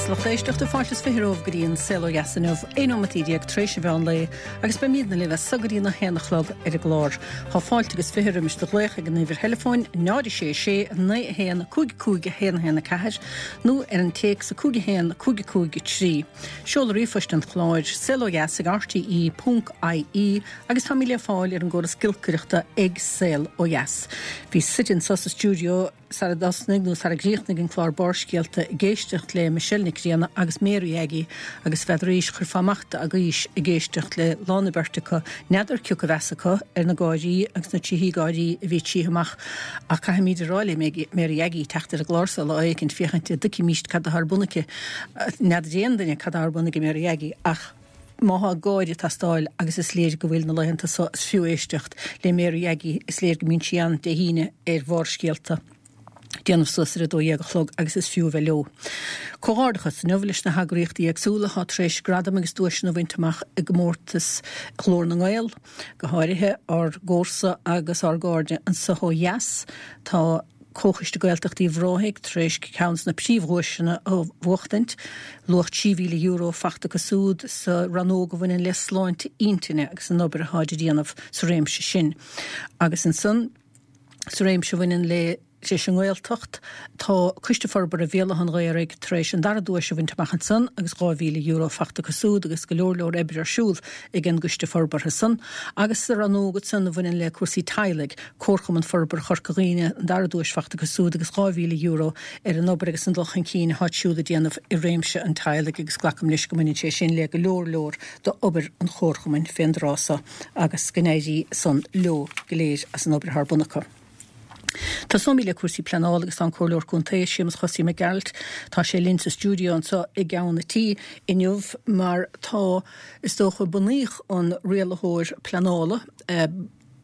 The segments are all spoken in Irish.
dheas lucht éisteachta, fáilte is 20 romhaibh go dtí an Saol Ó Dheas inniu, 11 nóimeataí tar éis an mheán lae agus beimídne libh as so go dtí na haon a chlog ar an gclár. Tá fáilte agus 20 roimis do ghlaoch ag an uimhir theileafóin 0 6 6 9 1 5 5 1 1 4 nó ar an téacs 5 1 5 5 3. Seoladh ríomhphoist an chláir, saolodheas ag rte ponc ie agus táimid le fáil ar an gcóras giolcaireachta ag Saol Ó Dheas. Bhí suite anso sa stiúideo. Sara dtosnaigh nó sara gcríochnaigh an clár Barrscéalta ag éisteacht le Michelle Nic Grianna agus Mary Aggie agus n'fheadaraís chuirfeá amach d'agaois ag éisteacht le lán na beirte acu, n'fheadar cioca a bheas acu ar na gáirí agus na tríthí gáirí a bhí ag tith amach ach caithfimíd a rá le Mary Aggie teacht ar an gclár so lá éicint féachaint a dtuigfimíst cad atá ar bun aici. N'fheadar aon duine cad atá ar bun ag Mary Aggie ach. Má thá gáire ag teastáil, agus is léir go bhfuil na laethanta so, is fiú éisteacht le Mary Aggie, is léir go mbíonn sí ann Dé hAoine ar Bharrscéalta, déanamh suas ar 12 a chlog agus is fiú a bheith leo. Comhghairdeachas inniu leis na heagraíochtaí éagsúla atá tar éis gradaim agus duaiseanna a bhaint amach i gcomórtas Ghlór na nGael, go háirithe ár gcomharsa agus ár gcairde anso ó dheas. Tá. Comhchoiste Gaeltacht Uíbh Ráthaigh tar éis ceann de na príomhdhuaiseanna a bhuachtaint, luach €3,000 fachta acu súd sa rannóg a bhaineann le sláinte intinne agus an obair atáid a dhéanamh sa réimse sin. Agus ansan sa réimse a bhaineann le leis an nGaeltacht, tá Coiste Forbartha Bhéal Átha an Ghaorthaidh tar éis an dara duais a bhaint amach ansan agus €2,000 fachta acu súd agus go leor leor oibre ar siúl ag an gCoiste Forbartha san. Agus sa rannóg ansan a bhaineann le cúrsaí teaghlaigh, Comharchumann Forbartha Chorca Dhuibhne, an dara duais fachta acu súd agus €2,000 ar an obair agus an dul chun cinn atáid siúd a déanamh i réimse an teaghlaigh agus glacaim leis go mbaineann sé sin le go leor leor d'obair an Chomharchumainn fén dtráth so agus go n-éirí san leo go léir as an obair atá ar bun acu. Tosóimid le cúrsaí pleanála agus tá an Comhairleoir Contae, Séamus Chosaí Mac Gearailt, tá sé linn sa stiúideo anseo i gceann a' tí inniu mar tá, is dócha, bunaíodh an rialaitheoir pleanála, de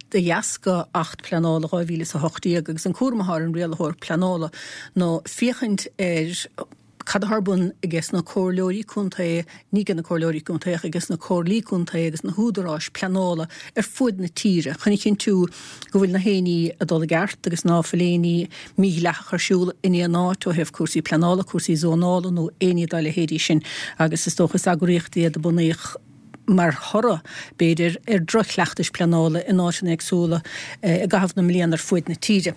dheasca Acht Pleanála 2018 agus an cúram atá ar an Rialaitheoir Pleanála ná féachaint ar cad atá ar bun aige sna Comhairleoirí Contae, ní aige na Comhairleoirí Contae ach aige sna Comhairlí Contae agus na húdaráis pleanála ar fuaid na tíre chun a chinntiú go bhfuil na haon ní ag dul i gceart agus ná fuil aon ní mídhleathach ar siúl in aon áit ó thaobh cúrsaí pleanála, cúrsaí zónála nó aon ní dá leithéidí sin agus is dócha is eagraíocht iad a bunaíodh mar thoradh, b'fhéidir, ar dhroch-chleachtais pleanála in áiteanna éagsúla i gcaitheamh na mbliana ar fuaid na tíre.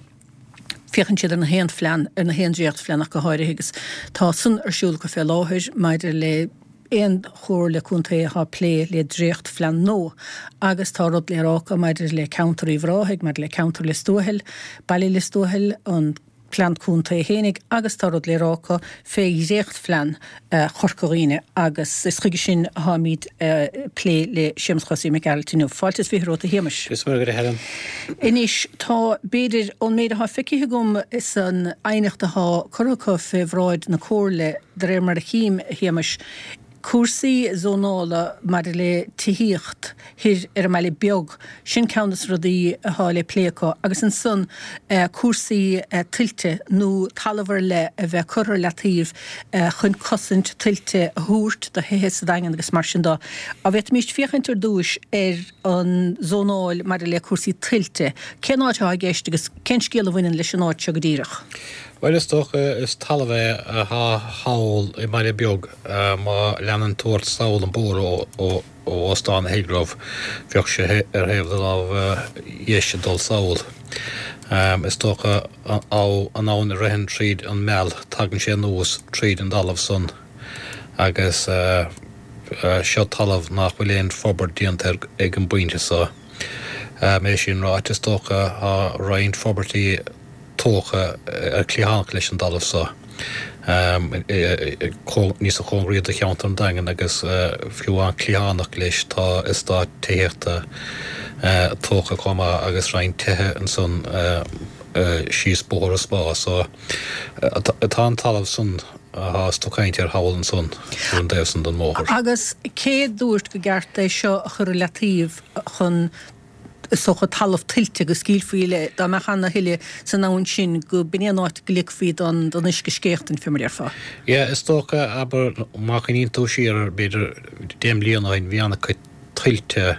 Féachann siad ar na haon phlean, ar na haon dréachtphlean ach go háirithe agus tá san ar siúl acu fé láthair maidir le aon chomhairle contae atá ag plé le dréachtphlean nua agus tá rud le rá acu maidir le ceantar Uíbh Ráthaigh, maidir le ceantar Lios Tuathail, baile Lios Tuathail, an. Plean Contae fhéinig agus tá rud le rá acu fé dhréachtphlean Chorca Dhuibhne agus is chuige sin atáimid ag plé le Séamus Chosaí Mac Gearailt inniu. Fáilte is 20 romhat a Shéamais. Is maith agat a Helen. Anois tá, b'fhéidir, ón méid atá feicthe agam san aighneacht atá curtha acu fé bhráid na Comhairle, de réir mar a chím, a Shéamais, Cúrsaí zónála maidir le tithíocht thoir ar an mBaile Beag, sin ceann de na rudaí atá le plé acu agus ansan cúrsaí tuilte nó talamh ar leith a bheith curtha ar leataobh chun cosaint tuilte a thabhairt do thithe sa Daingean agus mar sin de. An bhféadfaimíst féachaint ar dtúis ar an zónáil maidir le cúrsaí tuilte? Cén áit atá i gceist agus cén scéal a bhaineann leis an áit seo go díreach? Bhuel is dócha is talamh é atá thall i mBaile Beag. Má leanann tú ort sall an bóthar ó Óstán Hillgrove, bheadh sé ar thaobh do lámh dheis ag dul sall. Is dócha an abhainn a ritheann tríd an Meal, tagann sé anuas tríd an dtalamh san agus seo talamh nach bhfuil aon forbairt déanta air ag an bpointe so. É sin ráite, is dócha tá roinnt forbairtí tógtha ar cliathánach leis an dtalamh so, níos a chóngaraí do cheantar an Daingin agus fiú amháin cliathánach leis tá eastát tithíochta tógtha chomh maith agus roinnt tithe ansan síos bóthar an Spá so tá an talamh san athá tú caint air thall ansan ar an dtaobh san den mbóthar. Agus cé dúirt go gceart é seo a chur i leataobh chun is dócha, talamh tuilte go scaoilfí le, dá mbeadh ana thuile san abhainn sin, go b'in é an áit go ligfí don uisce scéachtaint, fé mar a déarfá. Yeah, is dócha, abair, má chuimhníonn tú siar, b'fhéidir, 10 mbliana ó shin, bhí ana-chuid. tuilte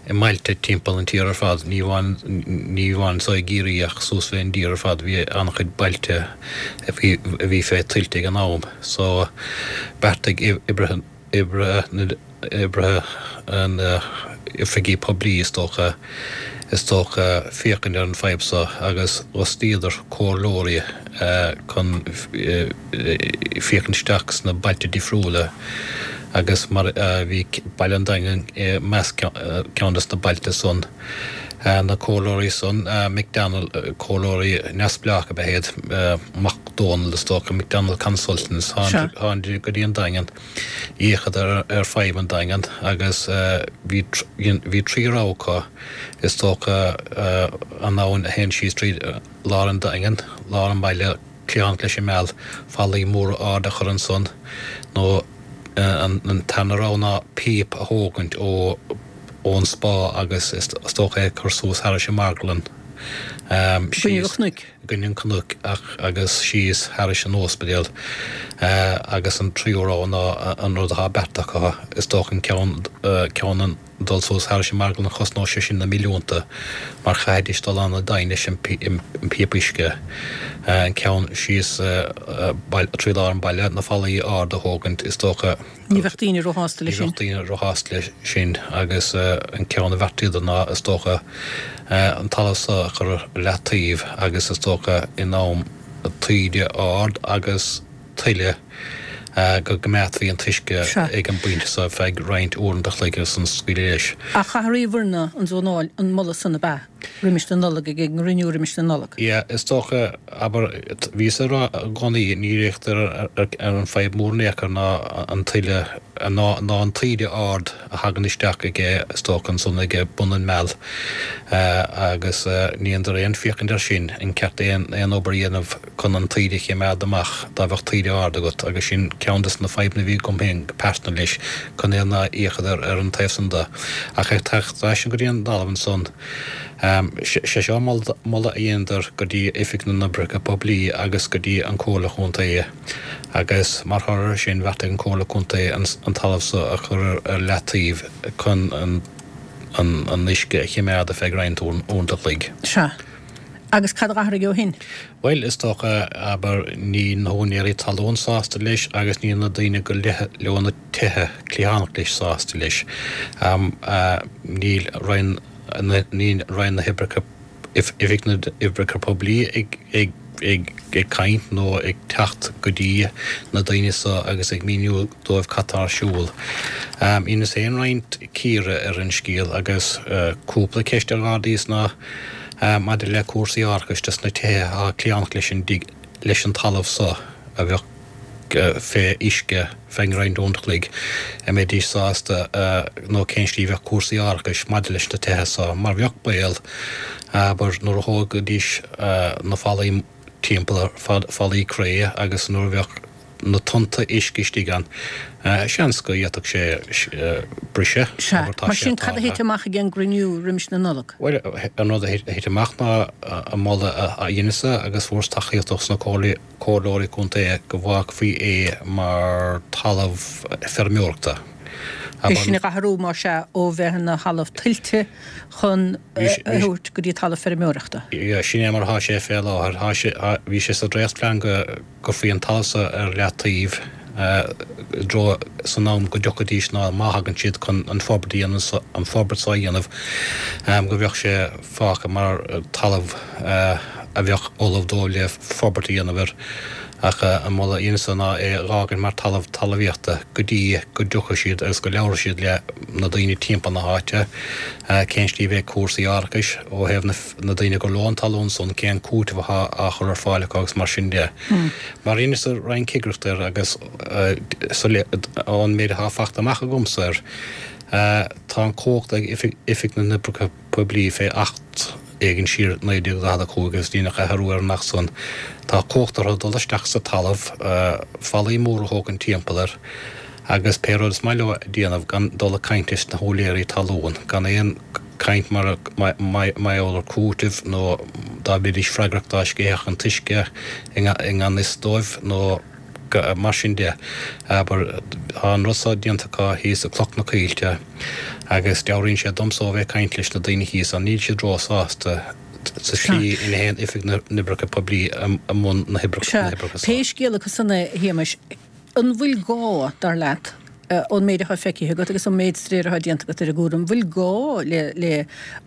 i mbailte timpeall an tír ar fad, ní amháin ní amháin anso i gCiarraí ach suas fén dtír ar fad, bhí an-chuid bailte a bhí a bhí fé tuilte ag an am. So bheartaigh oibrithe oibrithe na oibrithe na oifigí poiblí is dócha is dócha féachaint ar an fadhb so agus d'fhostaíodar comhairleoirí chun féachaint isteach sna bailte difriúla agus mar bhí Baile an Daingin i measc ceann des na bailte san. Na comhairleoirí san, McDonald, comhairleoirí neamhspleách ab ea iad, Mac Dónaill is dócha, McDonald Consultants, tháingadar go dtí an Daingean. D'fhéachadar ar fadhb an Daingin agus bhí bhí trí rogha acu, is dócha, an abhainn a théann síos tríd lár an Daingin, lár an bhaile, cliathánach leis an Meal, fallaí móra arda a chur ansan, nó an tarna rogha ná píopa a thógaint ó ón Spá agus is dócha é a chur suas thairis an marglann, síos. i gcoinne an chnoic ach agus síos thairis an óispidéal agus an tríú rogha ná an rud atá beartaithe acu, is dócha an ceann ceann an dul suas thairis an marglann chosnódh sé sin na milliúnta mar chaithfidís dul an-domhain leis an píopa uisce, an ceann síos trí lár an bhaile, na fallaí arda a thógaint is dócha. Ní bheadh daoine róshásta leis sin. Ní bheadh daoine róshásta leis sin agus an ceann a bheartaíodar ná, is dócha, an talamh so a chur ar leataobh agus is dócha in am taoide ard agus tuile go gcoimeádfaí an t-uisce ag an bpointe so ar feadh roinnt uaireanta a chloig agus ansan scaoileadh leis. Ach athraíodh an zónáil, an moladh san ab ea? Roimis na Nollag, ag an gcruinniú roimis na Nollag. Yeah, is dócha, abair, bhíos ag rá i gcónaí, ní fhéachtar ar an fadhb mór in aon chor ná an tuile, ná an taoide ard a thagann isteach aige, is dócha, ansan ag bun an Meal, agus ní dhéantar aon féachaint air sin, an ceart aon obair a dhéanamh chun an taoide a chimeád amach dá bheadh taoide ard agat, agus sin ceann des na fadhbanna a bhí agam féin go pearsanta leis, chun é nár fhéachadar ar an taobh san de. Ach ag teacht ar ais go dtí an dtalamh ansan, sé seo moladh a dheineadar go dtí Oifig na nOibreacha Poiblí agus go dtí an Comhairle Chontae, agus mar thoradh air sin bheartaigh an Comhairle Contae an talamh so a chur ar leataobh chun an uisce a chimeád ar feadh roinnt uaireanta a chloig. Sea. Agus cad a dh'athraigh ó shin? Bhuel, is dócha, abair, níl na húinéirí talún sásta leis agus níl na daoine gur leo na tithe cliathánach leis sásta leis. Níl Roinn, níl Roinn na hOibreacha, Oifig na nOibreacha Poiblí ag, ag, ag, ag caint nó ag teacht go dtí na daoine so agus ag míniú dóibh cad tá ar siúl. Dheineas féin roinnt cíoradh ar an scéal agus cúpla ceist ar d'ardaíos ná, Maidir le cúrsaí árachais dos na tithe atá cliathánach leis an dtig, leis an talamh so a bheadh fé uisce feadh roinnt uaireanta a chloig, an mbeidís sásta nó cén slí a bheadh cúrsaí árachais maidir leis na tithe so, mar bheadh baol, abair, nuair a thógfaidís na fallaí timpeall, fallaí cré agus nuair a bheadh. na tonnta uisce istigh ann, seans go bhféadfadh sé briseadh. Sea. Mar sin, cad a thit amach ag an gcruinniú roimis na Nollag? Bhuel, an rud a thit amach ná an moladh a dheineas-sa agus fuaireas tacaíocht ós na comhairleoirí contae go bhfágfaí é mar talamh feirmeoireachta. É sin a dh'athrú, más ea, ó bheith ina thalamh tuilte chun a thabhairt go dtí talamh feirmeoireachta. Sin é mar atá sé fé láthair. Tá sé, bhí sé sa dréachtphlean go. gcuirfí an talamh so ar leataobh i dtreo san am go dtiocfaidís ná má thagann siad chun an forbairt a dhéanamh so, an forbairt so a dhéanamh, go bheadh sé fágtha mar talamh a bheadh ullamh dóibh le forbairt a dhéanamh air. Ach an moladh a dheineas-sa ná é a dh'fhágaint mar talamh talmhaíochta go dtí go dtiocfaidh siad agus go labhróidh siad le na daoine timpeall na háite cén slí a bheidh cúrsaí árachais ó thaobh na na daoine gur leo an talún san, cén cúiteamh athá á chur ar fáil acu agus mar sin de. Mar dheineas-sa roinnt cigireachta air agus ón méid athá fachta amach agamsa air, tá an chumhacht ag Oifig na nOibreacha Poiblí fé Acht éigin siar 1945 agus deineadh athrú ar an Acht san, tá cumhacht orthu dul isteach sa talamh, fallaí móra a thógaint timpeall air agus pé rud is maith leo a déanamh gan dul ag caint leis na húinéirí talún, gan aon. caint mar gheall ar cúiteamh nó dá mbeidís freagrach dá sceithfeadh an t-uisce i ngan fhios dóibh nó Mar sin de, abair, tá an rud so déanta acu thíos i Cloch na Coillte agus dealraíonn sé domsa ó bheith ag caint leis na daoine thíos ann, níl siad róshásta sa tslí ina théann Oifig na nOibreacha Poiblí i mbun na hoibreacha so. Pé scéal acu san é, a Shéamais, an bhfuil gá, dar leat, ón méid atá feicthe agat agus ón méid staidéir atá déanta agat ar an gcúram, an bhfuil gá le le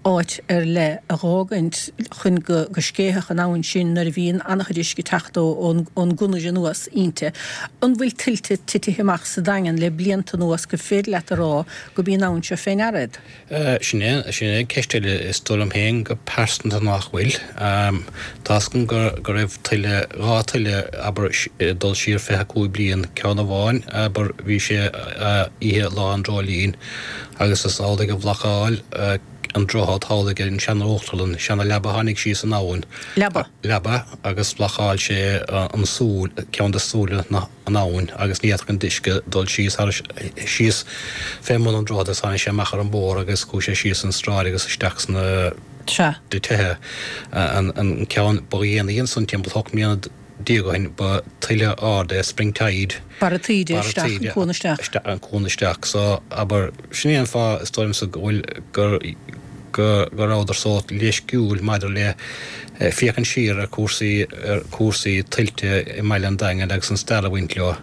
áit ar leith a dh'fhágaint chun go go scéithfeadh an abhainn sin nuair a bhíonn an-chuid uisce ag teacht ó ón ón gconair anuas inti? An bhfuil tuilte titithe amach sa Daingean le blianta anuas gur féidir leat a rá go b'í an abhainn seo fé ndeara iad? Sin é, sin é ceist eile. Is dóigh liom féin go pearsanta nach bhfuil. Tá's agam go, go raibh tuile, 2 tuile, abair, dul siar 25 bliain, ceann amháin, abair, bhí sé oíche Lá an Dreoilín agus is amhlaidh a bhlocáil an droichead thall ag an sean-uachtarlann, seana-leaba tháinig síos an abhainn. Leaba. Leaba agus bhlocáil sé an súil, ceann de súile na. an abhainn agus ní fhéadfadh an t-uisce dul síos thar síos fé mbun an droichid agus tháinig sé amach ar an mbóthar agus chuaigh sé síos an sráid agus isteach sna tithe. An ceann ba dhéanaí ansan timpeall 18 mbliana ó shin ba tuile ard é spring tide. Barra taoide isteach, an cuan isteach. An cuan isteach. So, abair, sin é an fáth is dóigh liomsa go bhfuil gur go rabhadar sórt leisciúil maidir le féachaint siar ar chúrsaí ar chúrsaí tuilte i mbaile an Daingin agus an stair a bhaint leo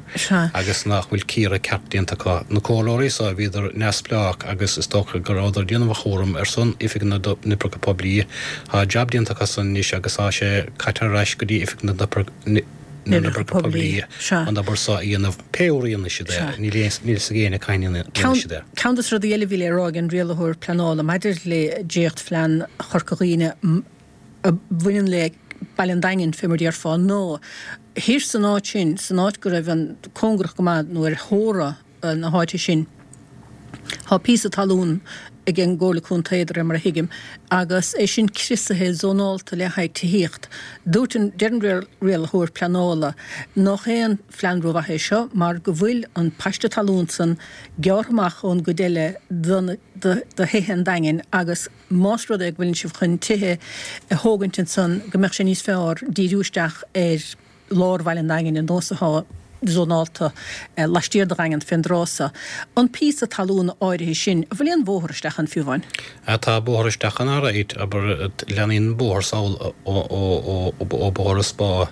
agus nach bhfuil cíoradh ceart déanta acu. Na comhairleoirí so, bhíodar neamhspleách agus is dócha go rabhadar ag déanamh a chúram ar son Oifig na nOibreacha Poiblí. Tá jab déanta acu san anois agus tá sé caite ar ais go dtí Oifig na na nOibreacha Poiblí an obair so a dhéanamh pé uair a dhéanfaidh siad é, níl a fhios ag éinne cathain a dhéanfaidh siad é. Ceann de na rudaí eile a bhí le rá ag an rialaitheoir pleanála maidir le dréachtphlean Chorca Dhuibhne a bhaineann le Baile an Daingin, fé mar déarfá, ná thiar san áit sin, san áit go raibh an cóngarach go maith nó ar theora na háite sin, tá píosa talún ag an gComhairle Contae, de réir mar a thuigim, agus é sin criosaithe, zónálta le haghaidh tithíocht. Dúirt an, deir an rialaitheoir pleanála nach aon phlean rómhaith é seo mar go bhfuil an paiste talún san gearrtha amach ón gcuid eile de, de thithe an Daingin agus más rud é go bhfuileann sibh chun tithe a thógaint ansan go mbeadh sé níos fearr díriú isteach ar lár Bhaile an Daingin ar nós atá zónálta laistiar de Dhaingean fén dtráth so. An píosa talún áirithe sin, an bhfuil aon bhóthar isteach ann fiú amháin? Tá bóthar isteach ann alright, abair, leanaíonn an bóthar sall ó Bhóthar an Spá.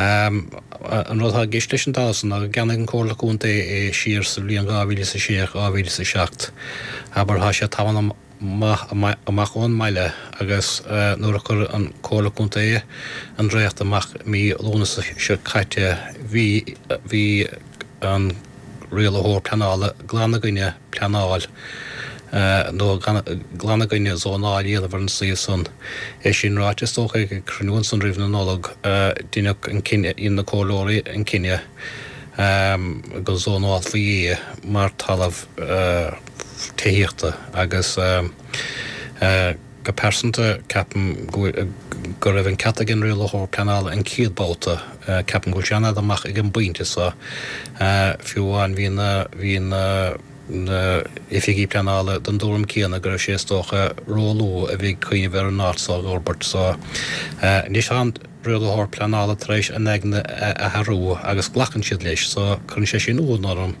An rud atá i gceist leis an dtalamh san ná go gceannaigh an Comhairle Contae é siar sa bhliain 2006, 2007. Abair, tá sé tamall maith amach ón mbaile agus nuair a chuir an Comhairle Contae an dréacht amach mí Lúnasa seo caite bhí bhí an rialaitheoir pleanála glan i gcoinne pleanáil nó glan i gcoinne zónáil a dhéanamh ar an suíomh san. É sin ráite is dócha ag cruinniú ansan roimh na Nollag deineadh an cinneadh dhein na comhairleoirí an cinneadh go zónálfaí é mar talamh tithíochta agus go pearsanta ceapaim go raibh an ceart ag an rialaitheoir pleanála an chéad babhta. Ceapaim go bhfuil sé an-fhada amach ag an bpointe so. Fiú amháin bhí na bhí na na oifigigh pleanála den dtuairim céanna go raibh sé is dócha róluath a bheith ag cuimhneamh ar an áit so a fhorbairt so anois tá an rialaitheoir pleanála tar éis a n-aigne a athrú agus glacann siad leis so cuireann sé sin ionadh orm.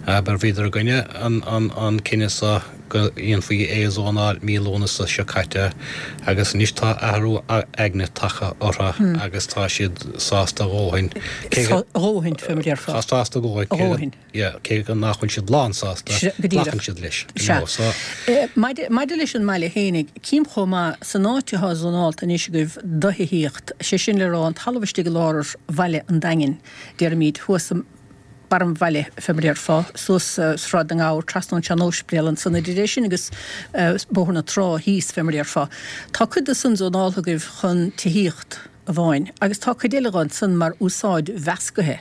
Abair bhíodar i gcoinne an cinneadh so go ndéanfaí é a zónáil mí Lúnasa seo caite agus anois tá athrú aigne tagtha orthu agus tá siad sásta a dhóthain cé go A dhóthain, fé mar déarfá. Tá sásta a dhóthain. Yeah, cé go nach bhfuil siad lán sásta, glacann siad leis, you know, so. Maidir leis an mbaile fhéinig, cím chomh maith, san áit atá zónálta anois agaibh do thithíocht, sé sin le rá an talamh istigh i lár bhaile an Daingin, déarfaimid, thuas i mbarr an bhaile, fé mar déarfá, suas Sráid na nGabhar, trasna ón sean-óispidéal ansan, idir é sin agus Bóthar na Trá thíos, fé mar déarfá. Tá cuid de san zónáltha agaibh chun tithíocht amháin agus tá cuid eile dhe ansan mar úsáid mheascaithe.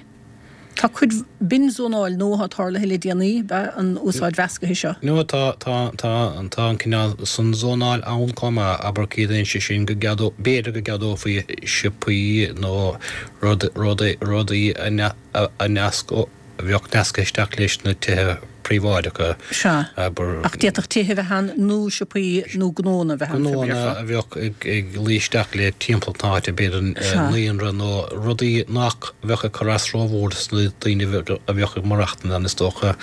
Tá cuid, b'in zónáil nua atá tarlaithe le déanaí, ab ea an úsáid mheascaithe seo? No, tá, tá, tá, tá an cineál san zónáil ann chomh maith, abair ciallaíonn sé sin go gceadó, b'fhéidir go gceadófaí siopaí nó rud, rudaí, rudaí a, a neasc, a bheadh nasctha isteach leis na tithe. príobháideacha. Sea. Ach d'fhéadfadh tithe a bheith ann nó siopaí nó gnónna a bheith ann, Gnónna a bheadh ag luí isteach le timpeallacht na háite, b'fhéidir naíonra nó rudaí nach bheadh ag cur as rómhór dos na daoine a bheadh ag maireachtaint ann is dócha.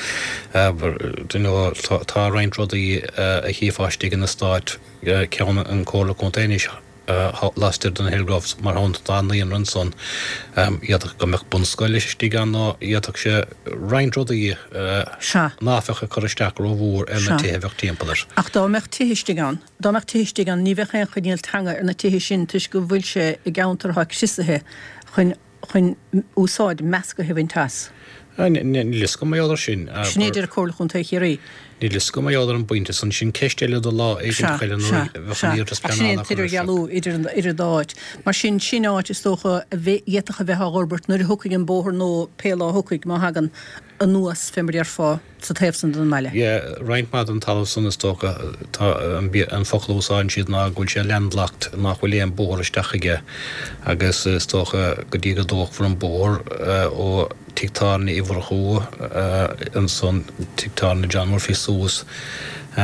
Tá roinnt rudaí a chífeá istigh in eastát ceann an Chomhairle Contae anois laistiar den Hillgroves mar shampla tá naíonra ansan d'fhéadfadh go mbeadh bunscoil istigh ann nó d'fhéadfadh sé roinnt rudaí ná bheadh ag cur isteach rómhór ar na tithe a bheadh timpeall air. Ach dá mbeadh tithe istigh ann, dá mbeadh tithe istigh ann ní bheadh aon choinníoll teanga ar na tithe sin toisc go bhfuil sé i gceantar atá criosaithe chun chun úsáid meascaithe a bhaint as. Níl fhios agam mar gheall air sin. Sin é a deir Comhairle Chontae Chiarraí. Níl fhios agam mar gheall ar an bpointe san. Sin ceist eile do lá éiginteach eile nuair a bheadh an iarratas Ach sin é an pleanála curtha isteach. t-idirdhealú idir an dá áit. Mar sin, sin áit is dócha a d'fhéadfadh a bheith á fhorbairt nuair a thiocfaidh an bóthar nó pé lá a thiocfaidh, má thagann, anuas fé mar a déarfá sa taobh san den mbaile. Yeah, roinnt mhaith den talamh san is dócha, tá an focal a úsáideann siad ná go bhfuil sé landlocked, nach bhfuil aon bóthar isteach chuige agus is dócha go dtí go dtógfar an bóthar ó tigh tábhairne Uí Mhurchú ansan, tigh tábhairne John Murphy suas i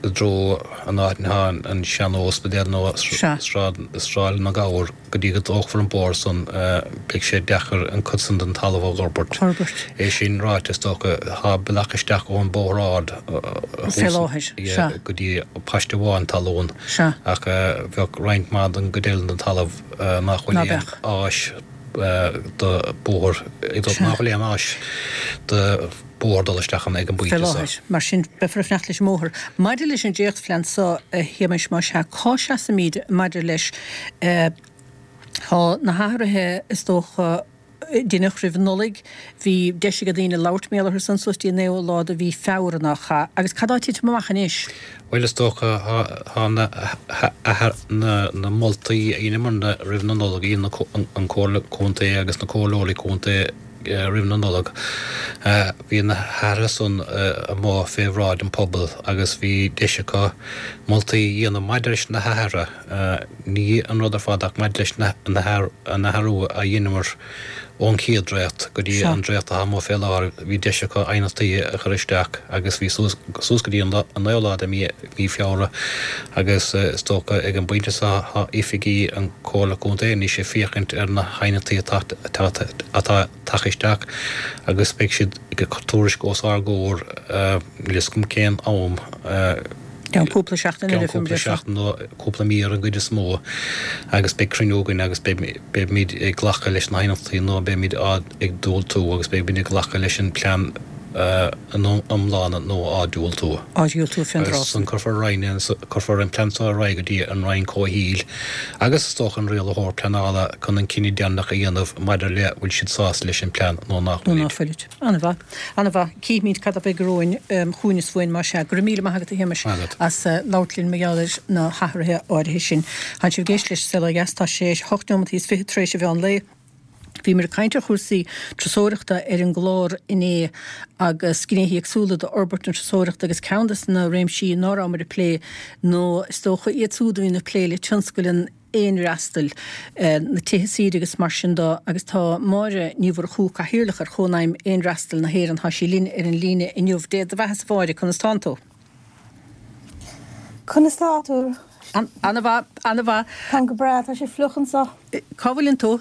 dtreo an áit ina thá an sean-óspidéal nó Sráid na nGabhar. Go dtí go dtógfar an bóthar san beidh sé deacair an cuid san den talamh a dh'fhorbairt. Forbairt. É sin ráite, is dócha, thá bealach isteach ón bóthar ard Fé láthair, sea. go dtí paiste amháin talún. Sea. Ach bheadh roinnt mhaith den gcuid eile den talamh nach bhfuil Ná aon beadh. áis do bóthar, Sea. nach bhfuil aon áis do bóthar dul isteach ann ag an Fé bpointe so. láthair. Mar sin, beifear ag fanacht leis an mbóthar. Maidir leis an dréachtphlean so, a Shéamais, más ea, cá seasaimid maidir leis? Tá na hathruithe, is dócha, deineadh roimh an Nollaig. Bhí deis ag daoine labhairt mar gheall orthu san suas dtí an 9ú lá de mhí Feabhra, nach ea? Agus cad tá ag titim amach anois? Bhuel, is dócha, thá na na moltaí a dheineamarna roimh na Nollag, a dhein an Comhairle Contae agus na Comhairleoirí Contae, roimh na Nollag. Bhí na hathruithe san amuigh fé bhráid an phobail agus bhí deis acu moltaí a dhéanamh maidir leis na hathruithe, ní an rud ar fad ach maidir leis an athrú a dheineamar ón chéad dréacht go dtí an dréacht atá amuigh fé láthair. Bhí deis acu aighneachtaí a chur isteach agus bhí suas suas go dtí an naoú lá de mhí Feabhra agus is dócha ag an bpointe seo tá oifigí an Comhairle Contae anois ag féachaint ar na haighneachtaí atá atá tagtha isteach agus beidh siad ag cur tuairisc os ár gcomhair, níl fhios agam cén am, Ceann cúpla seachtain ceann cúpla seachtain nó cúpla mí ar an gcuid is mó agus beidh cruinniú againn agus beimid ag glacadh leis na haighneachtaí nó beimid á ag diúltú agus beimid ag glacadh leis an plean ina iomláine nó á diúltú. Á dhiúltú fén dtráth san. Cuirfear ar aghaidh, cuirfear an plean seo ar aghaidh go dtí an Roinn Comhshaoil agus is dócha an Rialaitheoir Pleanála chun an cinneadh deireanach a dhéanamh maidir le bhfuil siad sásta leis an plean nó nach Nó ná fuilid. An-mhaith. An-mhaith. Cífimid cad a bheidh romhainn chugainn is uainn más ea. Go raibh míle maith agat a Shéamais as labhairt linn mar gheall ar na hathruithe áirithe sin. Tánn sibh ag éisteacht leis An Saol Ó Dheas. Tá sé 8 neomataí is 20 tar éis an mheán lae. Bhíomar ag caint ar chúrsaí turasóireachta ar an gclár inné agus gnéithe éagsúla d'fhorbairt na turasóireachta agus ceann de na réimsí ná rabhamar ag plé nó is dócha iad siúd a bhíonn ag plé le tionscal an fhéinfhreastail, na tithe saoire agus mar sin de agus tá Máire Ní Mhurchú, Cathaoirleach ar Chónaidhm Fhéinfhreastail na hÉireann, tá sí linn ar an líne inniu. Dé do bheatha-sa a Mháire, conas tánn tú? Conas tá tú? Ana-mhaith, ana-mhaith. Táim go breá, tá sé fliuch anseo. Cá bhfuileann tú?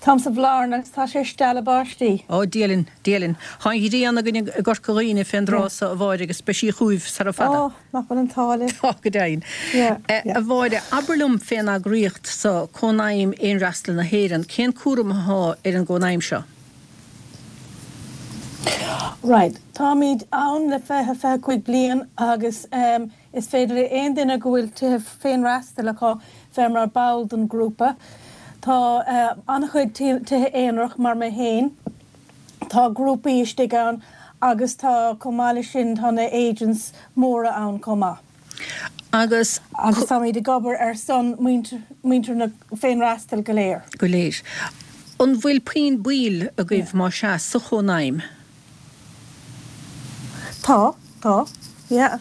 Táim sa Bhlarna agus tá sé ag stealladh báistí. Ó, Dia linn, Dia linn. Tá an ghrian againn i gCorca Dhuibhne fén dtráth so, a Mháire, agus beidh sí chugaibh sara fada. Ó, nach bhfuil an t-ádh libh. Tá, go deimhin. Yeah, yeah. A Mháire, abair liom fén eagraíocht so, Cónaidhm Fhéinfhreastail na hÉireann, cén cúram athá ar an gCónaidhm seo? Right, táimid ann le 20, 25 bliain agus is féidir le aon duine go bhfuil tithe féinfhreastail acu bheith mar ball den grúpa. Tá an-chuid tithe aonarach mar mé féin, tá grúpaí istigh ann agus tá chomh maith leis sin tá na agents móra ann chomh maith. Agus. Agus táimid ag obair ar son muintir na féinfhreastail go léir. Go léir. An bhfuil puinn baill agaibh, más ea, sa Chónaidhm? Tá, tá, yeah.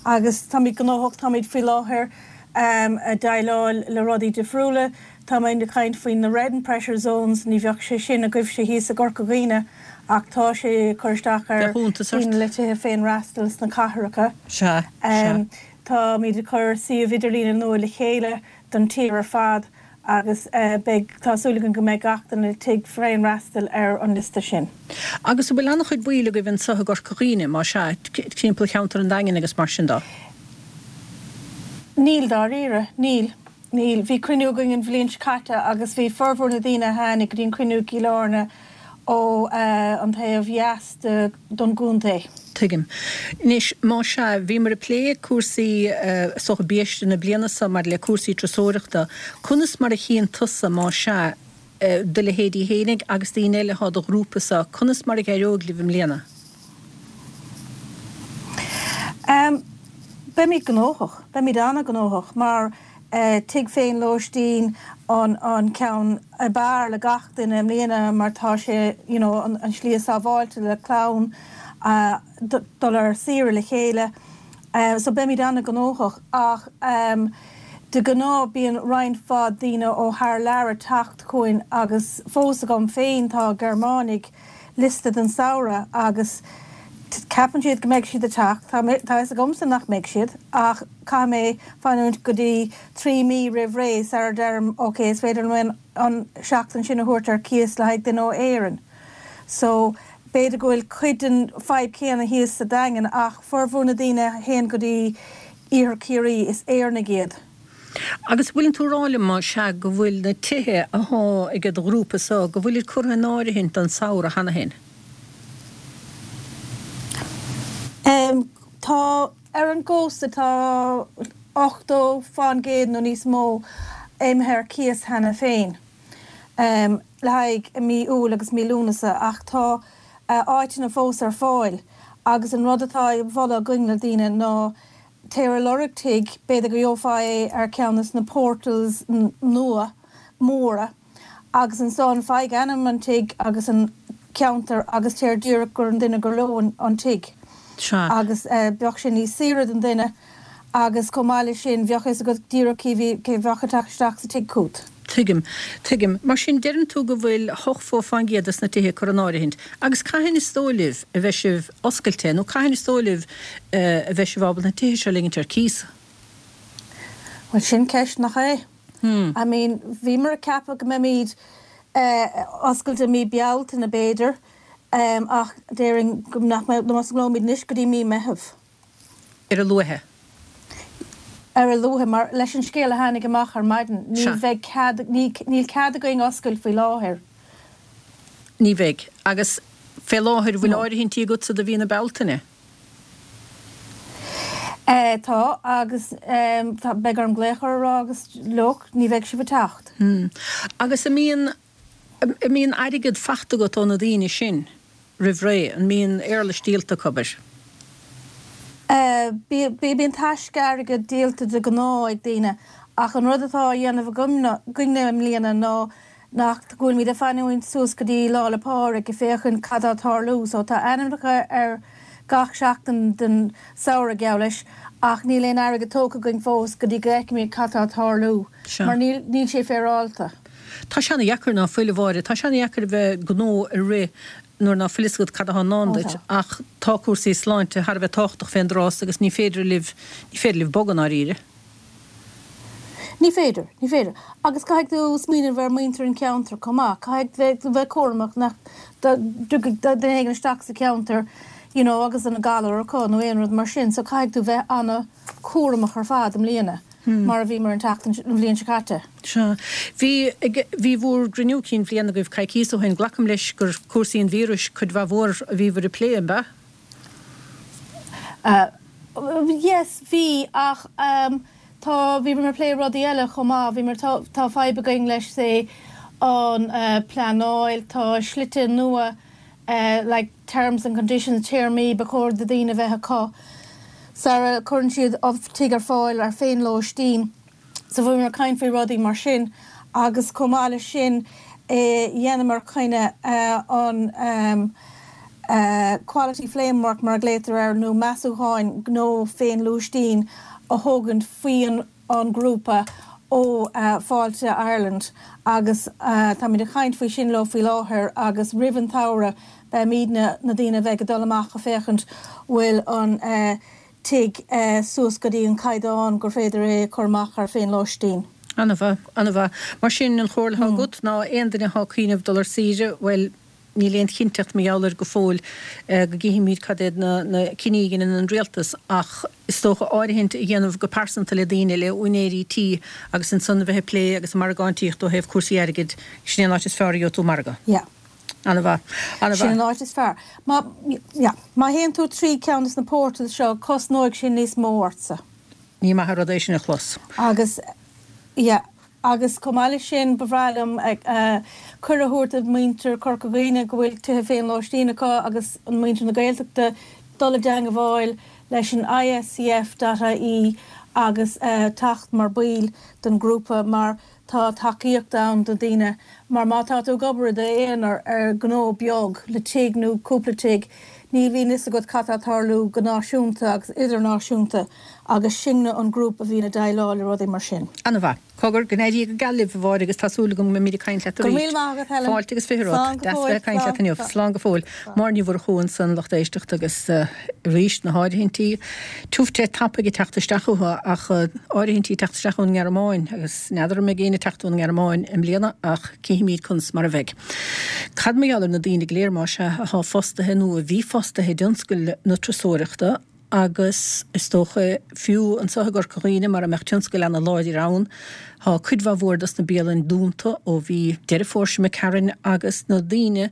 Agus táimid gnóthach, táimid faoi láthair ag déileáil le rudaí difriúla. Táimid ag caint faoi na red and pressure zones, ní bheadh sé sin agaibhse thíos i gCorca Dhuibhne. Ach tá sé ag cur isteach ar dhaoine le tithe féinfhreastail sna cathracha. Sea, sea. Táimid ag cur suíomh idirlíne nua le chéile don tír ar fad agus beidh, tá súil againn go mbeidh gach duine le tigh féinfhreastail ar an liosta sin. Agus an bhfuil an-chuid baill agaibh anseo i gCorca Dhuibhne, má sea, timpeall cheantar an Daingin agus mar sin de? Níl, dáiríre, níl. Níl. Bhí cruinniú againn an bhliain seo caite agus bhí formhór na daoine a tháinig go dtí an cruinniú i gCill Airne ó an taobh dheas don gcontae. Tuigim. Anois, más ea, bhíomar ag plé cúrsaí, is dócha, biaiste na bliana seo maidir le cúrsaí turasóireachta. Conas mar a chíonn tusa, más ea, do leithéidí fhéinig agus daoine eile atá i do ghrúpa sa, conas mar a dh'éireoidh libh i mbliana? Beimid gnóthach, beimid an-ghnóthach mar tigh féin-lóistín an an ceann ab fhearr le gach duine i mbliana mar tá sé you know an slí is sábháilte le clann dul ar saoire le chéile. So beimid an-ghnóthach ach de ghnáth bíonn roinnt mhaith daoine ó thar lear ag teacht chugainn agus fós agam féin tá Gearmánaigh liosta don samhradh agus ceapann siad go mbeidh siad ag teacht. Tá a fhios agamsa nach mbeidh siad ach caithfidh mé fanúint go dtí 3 mí roimh ré sara deirim ok is féidir liom an seachtain sin a thabhairt ar cíos le haghaidh duine ó Éirinn. So b'fhéidir go bhfuil cuid den fadhb chéanna thíos sa Daingean ach formhór na daoine a théann go dtí Iarthar Chiarraí, is Éireannaigh iad. Agus bhfuileann tú ag rá liom, más ea, go bhfuil na tithe athá ag do ghrúpa so, go bhfuilid curtha in áirithint don samhradh cheana féin? Tá. Ar an gcósta tá 80% nó níos mó imithe ar cíos cheana féin. le haghaidh mí Iúil agus mí Lúnasa ach tá áiteanna fós ar fáil agus an rud atá á mholadh againn le daoine ná téir ag lorg tigh, b'fhéidir go gheofá é ar ceann de na portals nua móra agus ansan faigh ainm an tigh agus an ceantar agus téir díreach gur an duine gur leo an tigh agus bheadh sé níos saoire don duine agus chomh maith leis sin bheadh fhios agat díreach cé bhí cé bheadh ag teacht isteach sa tigh chút. Tuigim. Tuigim. Mar sin, deireann tú go bhfuil 80% des na tithe curtha in áirithint. Agus cathain is dóigh libh a bheidh sibh oscailte, nó cathain is dóigh libh a bheidh sibh ábalta na tithe seo a ligint ar cíos? Bhuel, sin ceist, nach é? I mean, bhíomar ag ceapadh go mbeimid oscailte mí Bealtaine, b'fhéidir, ach déarfainn go nach mbeidh, nach osclóimid anois go dtí mí Meitheamh. Ar a luaithe. Ar a luaithe, mar leis an scéal a tháinig amach ar maidin, ní bheidh cead, níl cead againn oscailt faoi láthair. Ní bheidh. Agus fé láthair, bhfuil áirithintí agatsa do mhí na Bealtaine? Tá, agus tá, beidh orm glaoch orthu a rá agus look, ní bheidh sibh ag teacht. Agus an mbíonn, an mbíonn airgead fachta agat ó na daoine sin? roimh ré? An mbíonn éarlais díolta acu, abair? Bíonn taisce airgid díolta de ghnáth ag daoine ach an rud atá á dhéanamh againne i mbliana ná nach go bhfuilimid ag fanúint suas go dtí Lá 'le Pádraig ag féachaint cad tá ag tarlú so tá ainmneacha ar gach seachtain den samhradh geall leis ach níl aon airgead tógtha againn fós go dtí go bhfeicfimid cad tá ag tarlú mar níl níl sé féaráilte. Tá sé ana-dheacair ná fuil, a Mháire. Tá sé ana-dheacair a bheith gnó a rith nuair ná fuil fhios agat cad athá i ndán duit ach tá cúrsaí sláinte thar a bheith tábhachtach fén dtráth so agus ní féidir libh, ní féidir libh bogadh i ndáiríre. Ní féidir, ní féidir. Agus caithfidh tú smaoineamh ar muintir an cheantair chomh maith. Caithfidh tú bheith cúramach nach dtiocfaidh duine éigin isteach sa cheantar you know agus an galar acu nó aon rud mar sin so caithfidh tú bheith ana chúramach ar fad i mbliana mar a bhíomar an tseachtain, an bhliain seo caite. Sea. Bhí, bhí bhúr gcruinniú cinn bhliana agaibh coicíos ó shin. Glacaim leis gur cúrsaí an víris cuid mhaith mhór a bhíobhair ag plé, an b'ea? Yes, bhí, ach tá, bhíomar ag plé rudaí eile chomh maith. Bhíomar, tá, tá fadhb againn leis, say, an pleanáil, tá slite nua, like terms and conditions, téarmaí ba chóir do daoine a bheith acu sara cuireann siad tigh ar fáil ar féinlóistín. So bhíomar ag caint faoi rudaí mar sin agus chomh maith leis sin dheineamar coinne an quality framework mar a ghlaotar air nó measúcháin gnó féinlóistín a thógaint faoi an an grúpa ó Fáilte Ireland agus táimid ag caint faoi sin leo faoi láthair agus roimh an tsamhradh. Beimidne, na daoine a bheidh ag dul amach a féachaint bhfuil an tigh suas go dtí an caighdeán gur féidir é a chur amach ar féinlóistín. Ana-mhaith, ana-mhaith. Mar sin, an chomhairle atá agat ná aon duine atá ag cuimhneamh dul ar saoire, bhuel, níl aon chinnteacht mar gheall air go fóill, go gcífimid cad iad na cinní a dheineann an rialtas, ach is dócha áirithint a dhéanamh go pearsanta le daoine, le úinéirí tí agus ansan a bheith ag plé agus ag margáintíocht ó thaobh cúrsaí airgid, sin é an áit is fearr a gheobhaidh tú margadh. Yeah. Ana-mhaith. Ana-mhaith. Sin an áit is fearr. Má, yeah, má théann tú trí ceann de na portals seo, cosnóidh sé níos mó ortsa. Ní maith an rud é sin a chlos. Agus, yeah, agus chomh maith leis sin, ba bhreá liom cuireadh a thabhairt do mhuintir Chorca Dhuibhne go bhfuil tithe féinlóistín acu agus an muintir na Gaeltachta dul i dteangabháil leis an ISCF dot ie agus teacht mar baill den ghrúpa mar Tá tacaíocht ann do daoine mar má tá tú ag obair i d'aonar ar ghnó beag le tigh nó cúpla tigh, ní bhíonn fhios agat cad tá ag tarlú go náisiúnta agus idirnáisiúnta agus sinne an grúpa a bhíonn ag déileáil le rudaí mar sin. Ana-mhaith. Cogar, go n-éirí go geal libh, a Mháire, agus tá súil agam go mbeimid ag caint leat arís. Go raibh míle maith agat, Helen. Fáilte agus 20 romhat. Slán go Deas fóill. bheith ag caint leat Slán. inniu. Slán go fóill. Máire Ní Mhurchú ansan, lucht éisteachta, agus arís na háirithintí. Tiubh te tapaidh ag teacht isteach uathu ach áirithintí ag teacht isteach ón nGearmáin agus n'fheadar an mbeidh éinne ag teacht ón nGearmáin i mbliana ach cífimid conas mar a bheidh. Cad mar gheall ar na daoine go léir más ea athá fostaithe nó a bhí fostaithe i dtionscal na turasóireachta agus is dócha fiú anseo i gCorca Dhuibhne mara mbeadh tionscal ana láidir ann Tá cuid mhaith mhór dos na bialainn dúnta ó bhí Deireadh Fómhair seo imigh tharainn agus na daoine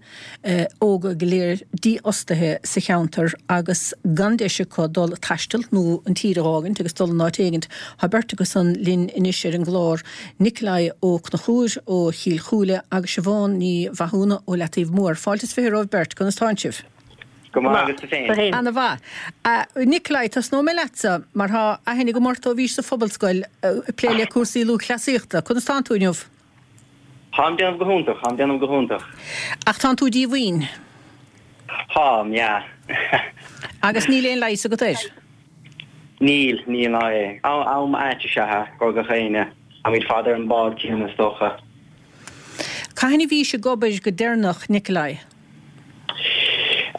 óga go léir dífhostaithe sa cheantar agus gan deis acu dul ag taisteal nó an tír a dh'fhágaint agus dul in áit éigint. Tá beirt acu san linn anois ar an gclár, Nikolai Ó Conchúir ó Chill Chúile agus Siobhán Ní Mhathúna ó Leataobh Mór. Fáilte is 20 romhaibh beirt, conas tánn sibh? Go maith agus tú féin? Ana mhaith. Nikolai, tosnóidh mé leatsa, mar tá aithne agam ort ó bhís sa phobalscoil ag plé le cúrsaí lúthchleasaíochta. Conas tánn tú inniu? Táim déanamh go hiontach, táim déanamh go hiontach. Ach tánn tú díomhaoin? Táim, yeah. Agus níl aon leigheas agat air? Níl, níl ná é. Am ait is ea é, do gach éinne. Táimid fad ar an bád céanna is dócha. Cathain a bhís ag obair go deireanach, Nikolai?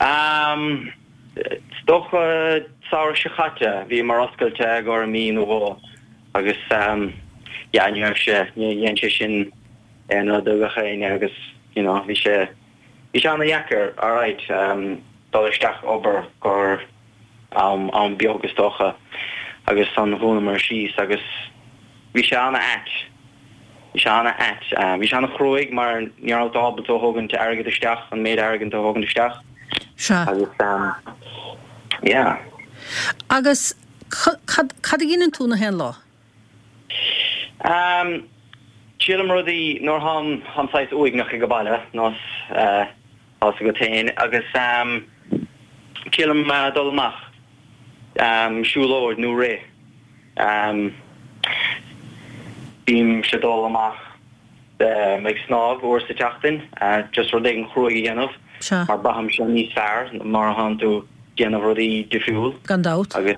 Is dócha samhradh seo chaite, bhíomar oscailte i gcomhair mí nó dhó agus yeah ní raibh sé, ní dhein sé sin aon rud do gach éinne agus you know bhí sé, bhí sé ana-dheacair alright dul isteach obair gcomhair am, am beag is dócha agus ansan dhúnamar síos agus bhí sé ana-ait. Bhí sé ana-ait. Bhí sé ana-chruaidh mar ní raibh tú ábalta a thógaint airgead isteach, an méid airgead a thógaint isteach. Sea. Agus yeah. Agus cad, cad a dheineann tú na haon lá? Triailim rudaí nuair tháim, tháim saghas uaigneach ag baile, nós tá's agat féin, agus triailim dul amach, siúlóid nó rith. Bímse ag dul amach ag snámh uair sa tseachtain, just rud éigin chruaidh a dhéanamh mar braithimse níos fearr mar a thánn tú déanamh rudaí difriúil. Gan dabht. Agus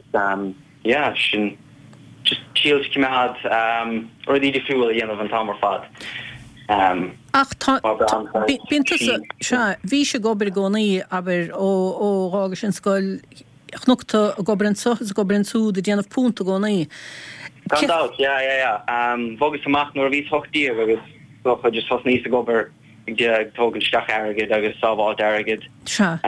yeah, sin just triail coimeád rudaí difriúil a dhéanamh an t-am ar fad. Ach tá, bíonn tusa, sea, bhís ag obair i gcónaí, abair, ó dh'fhágais an scoil, Chonac tú ag obair anso is ag obair ansúd ag déanamh punt i gcónaí. Gan dabht, yeah, yeah, yeah. Bhogas amach nuair a bhíos 18 agus dócha just thosnaíos ag obair ag ag tógaint isteach airgid agus sábháilt airgid. Sea.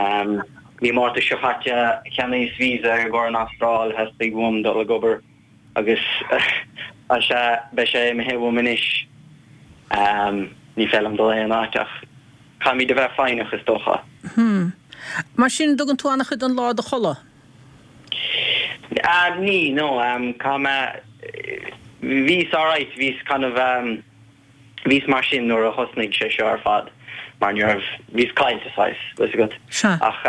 Mí Márta seo chaite cheannaíos visa i gcomhair an Astráil, theastaigh uaim dul ag obair agus sea, beidh sé imithe uaim anois. Ní féidir liom dul aon áit ach Caithfimid a bheith foighneach, is dócha. Hm. Mar sin, dtugann tú an-chuid den lá do chodladh? Ní, no, caithfidh mé, bhíos alright, bhíos kind of, bhíos mar sin nuair a thosnaigh sé seo ar fad, mar ní raibh, bhíos caillte, saghas, bhfuil 'fhios agat. Sea. Ach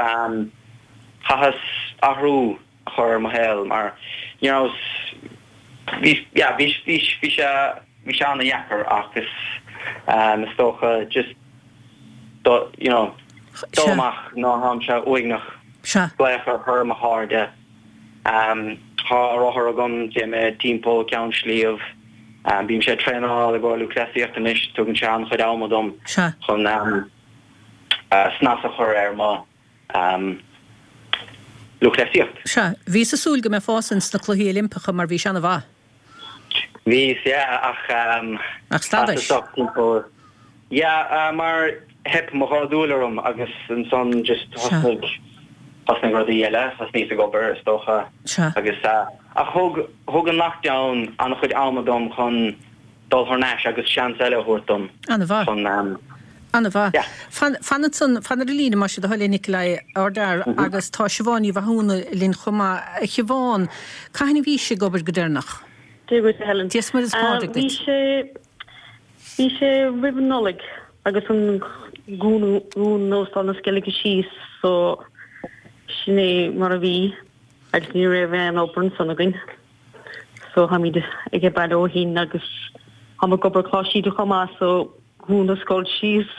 chaitheas athrú a chur ar mo shaol mar ní raibh, bhí, yeah, bhí, bhí, bhí sé, bhí sé ana-dheacair ach is, is dócha just do, you know, dul amach nuair tháimse uaigneach, glaoch ar mo chairde, tá rothar agam, téim timpeall Ceann Sliabh, bímse ag traenáil i gcomhair lúthchleasaíocht anois, tugann sé an-chuid ama dom chun. snas a chur ar mo lúthchleasaíocht. Sea, bhíos ag súil go mbeifeása ins na Cluichí Oilimpeacha mar bhís ana-mhaith. Bhíos, yeah, ach Ach stadais. Stop timpeall, yeah, mar theip mo dhá dhúil orm agus ansan just thosnaigh, thosnaigh rudaí eile, thosnaíos ag obair is dócha. Sea. Agus, ach thug, thug an lockdown an-chuid ama dom chun dul thar n-ais agus seans eile a thabhairt dom An-mhaith. chun, An-mhaith. yeah. Fan, fan ansan, fan ar an líne más é do thoil é Nikolai, ardfhear, agus tá Siobhán Ní Mhathúna linn chomh maith. A Shiobhán, cathain a bhís ag obair go deireanach? Dia dhuit a Helen. Dia 's Muire is Pádraig Bhí duit. sé, bhí sé roimh an Nollaig agus an dhún, dhún Óstán na Sceilge síos so sin é mar a bhí agus ní raibh aon obair ansan againn. So táimid age baile ó shin agus táim ag obair Coláiste Íde chomh maith so dhún an scoil síos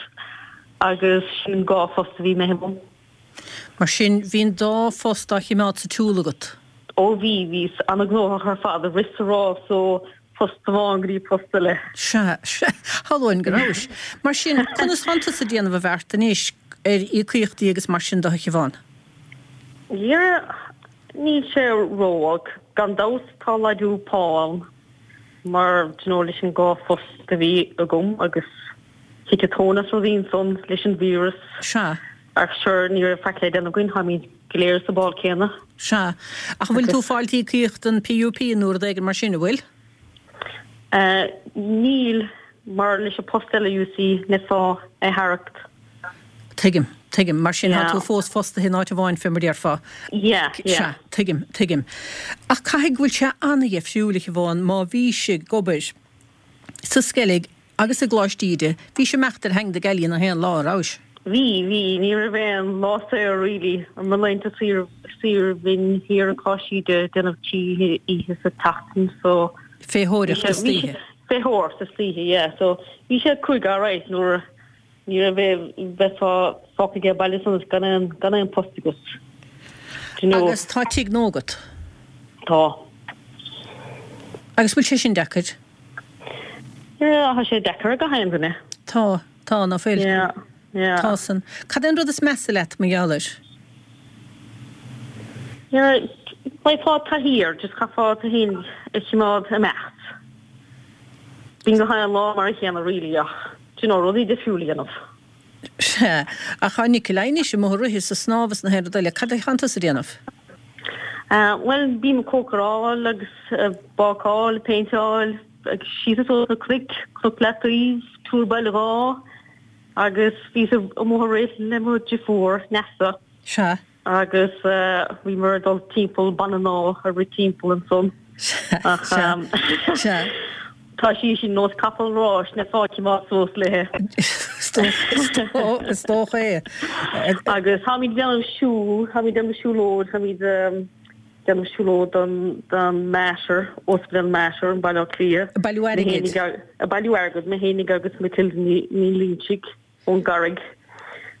agus sin an dhá phost a bhí imithe uaim. Mar sin bhí an dá phost á chimeád sa tsiúl agat? Ó bhí, bhíos ana-ghnóthach ar fad, ag rith 's ag rás ó phost amháin go dtí post eile. Sea, sea, shamhlóinn go rabhais. Mar sin, conas tánn tusa ag déanamh an bheart anois ar íocaíochtaí agus mar sin de a Shiobhán? Yeah, Níl sé ró-olc. Gan dabht tá laghdú pá ann mar do you know leis an dhá phost a bhí agam agus thit an tóin as rudaí ansan leis an víreas. Sea. Ach sure ní raibh faic le déanamh againn, táimid go léir sa bál céanna. Sea. Ach an bhfuil tú ag fáilt íocaíocht an PUP nó rud éigin mar sin, an bhfuil? Níl, mar leis an post eile you see, n'fhéadfá é tharraingt. Tuigim, tuigim. Mar sin, tá tú fós fostaithe in áit amháin, fé mar déarfá. Yeah, yeah. Sea, tuigim, tuigim. Ach caithfidh go bhfuil sé ana-dheifriúil, a Shiobhán, má bhís ag obair sa Sceilg Agus i gColáiste Íde, bhís ag imeacht ar theanga na gealaí na haon lá, an rabhais? Bhí, bhí. Ní raibh aon lá saor really. Mo laethanta saoire, saoire bhínn thiar i gColáiste Íde ag déanamh trí oíche sa tseachtain so. Féitheoireacht istoíche. Féitheoireacht istoíche, yeah. So bhí sé cruaidh alright nuair ní raibh aon, bheifeá fágtha age baile ansan gan aon, gan aon post agat. Do you know. Agus tá tigh nua agat? Tá. Agus bhfuil sé sin deacair? Yeah, tá sé deacair ag gach aon duine. Tá, tá, ná fuil? Yeah, yeah. Tá san. Cad é an rud is measa leat mar gheall air? Yeah, beifeá taithí air, just chaithfeá tú féin a chimeád ag imeacht. Bíonn gach aon lá mar a chéanna really ach, do you know, rudaí difriúil a dhéanamh. Sea, ach tá Nikolai anois amuigh ag rith is ag snámh is na haon rud eile. Cad é thánn tusa a déanamh? Bhuel, bím ag cócaráil agus ag bácáil, ag péinteáil, ag síos is suas na cnoic, Cnoc Leataoibh, Túr Baile Dháith, agus bhíos amuigh ag rith le mo dheirfiúr, Neasa. Sea. Agus bhíomar ag dul timpeall Banana ag rith timpeall ansan. Ach tá sí sin nós capall ráis n'fhéadfá cimeád suas léi. Is dócha é. Agus táimid ag déanamh siúl, táimid ag déanamh siúlóid, táimid ag déanamh siúlóid don don Mater, Ospidéal Mater in Baile Átha Cliath. Ag bailiú airgid. Ag bailiú airgid, mé fhéinig agus Matilda Ní Loingsigh. ón gCarraig.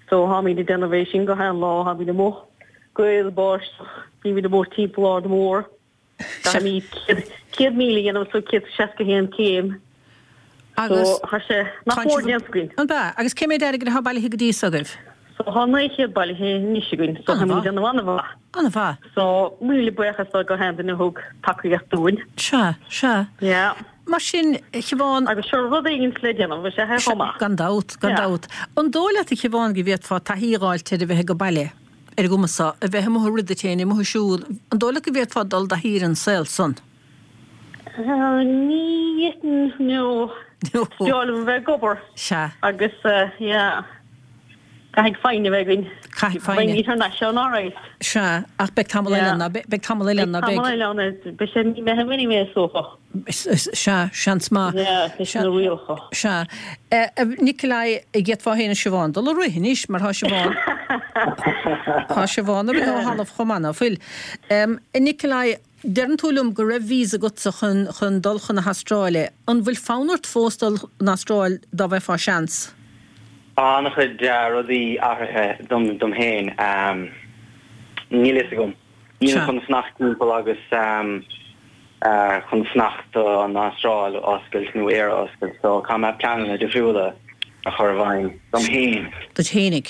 So tháimid ag déanamh é sin gach aon lá, tháimid amuigh, gaoth, báisteach, bímid amuigh timpeall Ard Mór. Caithfimid 100,000 a dhéanamh so 161 céim. Agus So tá sé nach mór déanta againn. An ea? Agus cé méid airgid atá bailithe go dtí so agaibh? So tá 900 bailithe anois againn, so táimid ag déanamh an-mhaith. An-mhaith. So míle buíochas do gach aon duine a thug tacaíocht dúinn. Sea, sea. Yeah. Mar sin, a Shiobhán. Agus sure, rud éigin le déanamh, is ea é chomh maith. Gan dabht, gan dabht. An dóigh leat, a Shiobhán, go bhféadfá taithí a dh'fháilt ar a bheith age baile, ar an gcuma so, a bheith amuigh ag rith duit féin, amuigh ag siúl, an dóigh leat go bhféadfá dul i dtaithí ar an saol san? Ní fhéadfainn, no. No. Is breá liom a bheith ag obair. Sea. Agus, yeah. Caithfidh foighne a bheith againn. Caithfidh foighne. Beimid thar n-ais ann alright. Sea, ach beidh tamall eile ann, ná beidh? Beidh tamall eile ann, ná beidh? Beidh tamall eile ann, beidh sé mí Meitheamh anyway is dócha. Sea, seans maith. Yeah, leis na rialacha. Sea. Nikolai, d'fhéadfá féin is Siobhán dul ag rith anois, mar tá Siobhán, tá Siobhán ag rith ó thalamh chomh maith, ná fuil? Nikolai, deireann tú liom go raibh visa agatsa chun, chun dul chun na hAstráile. An bhfuil fonn ort fós dul chun Astráil dá bhfaighfeá seans? Tá an-chuid rudaí athraithe dom dom féin. Níl fhios agam. Nílim chun fanacht timpeall agus chun fanacht don Astráil a oscailt nó Éire a oscailt so caithfidh mé pleananna difriúla a chur i bhfeidhm dom féin. Duit fhéinig.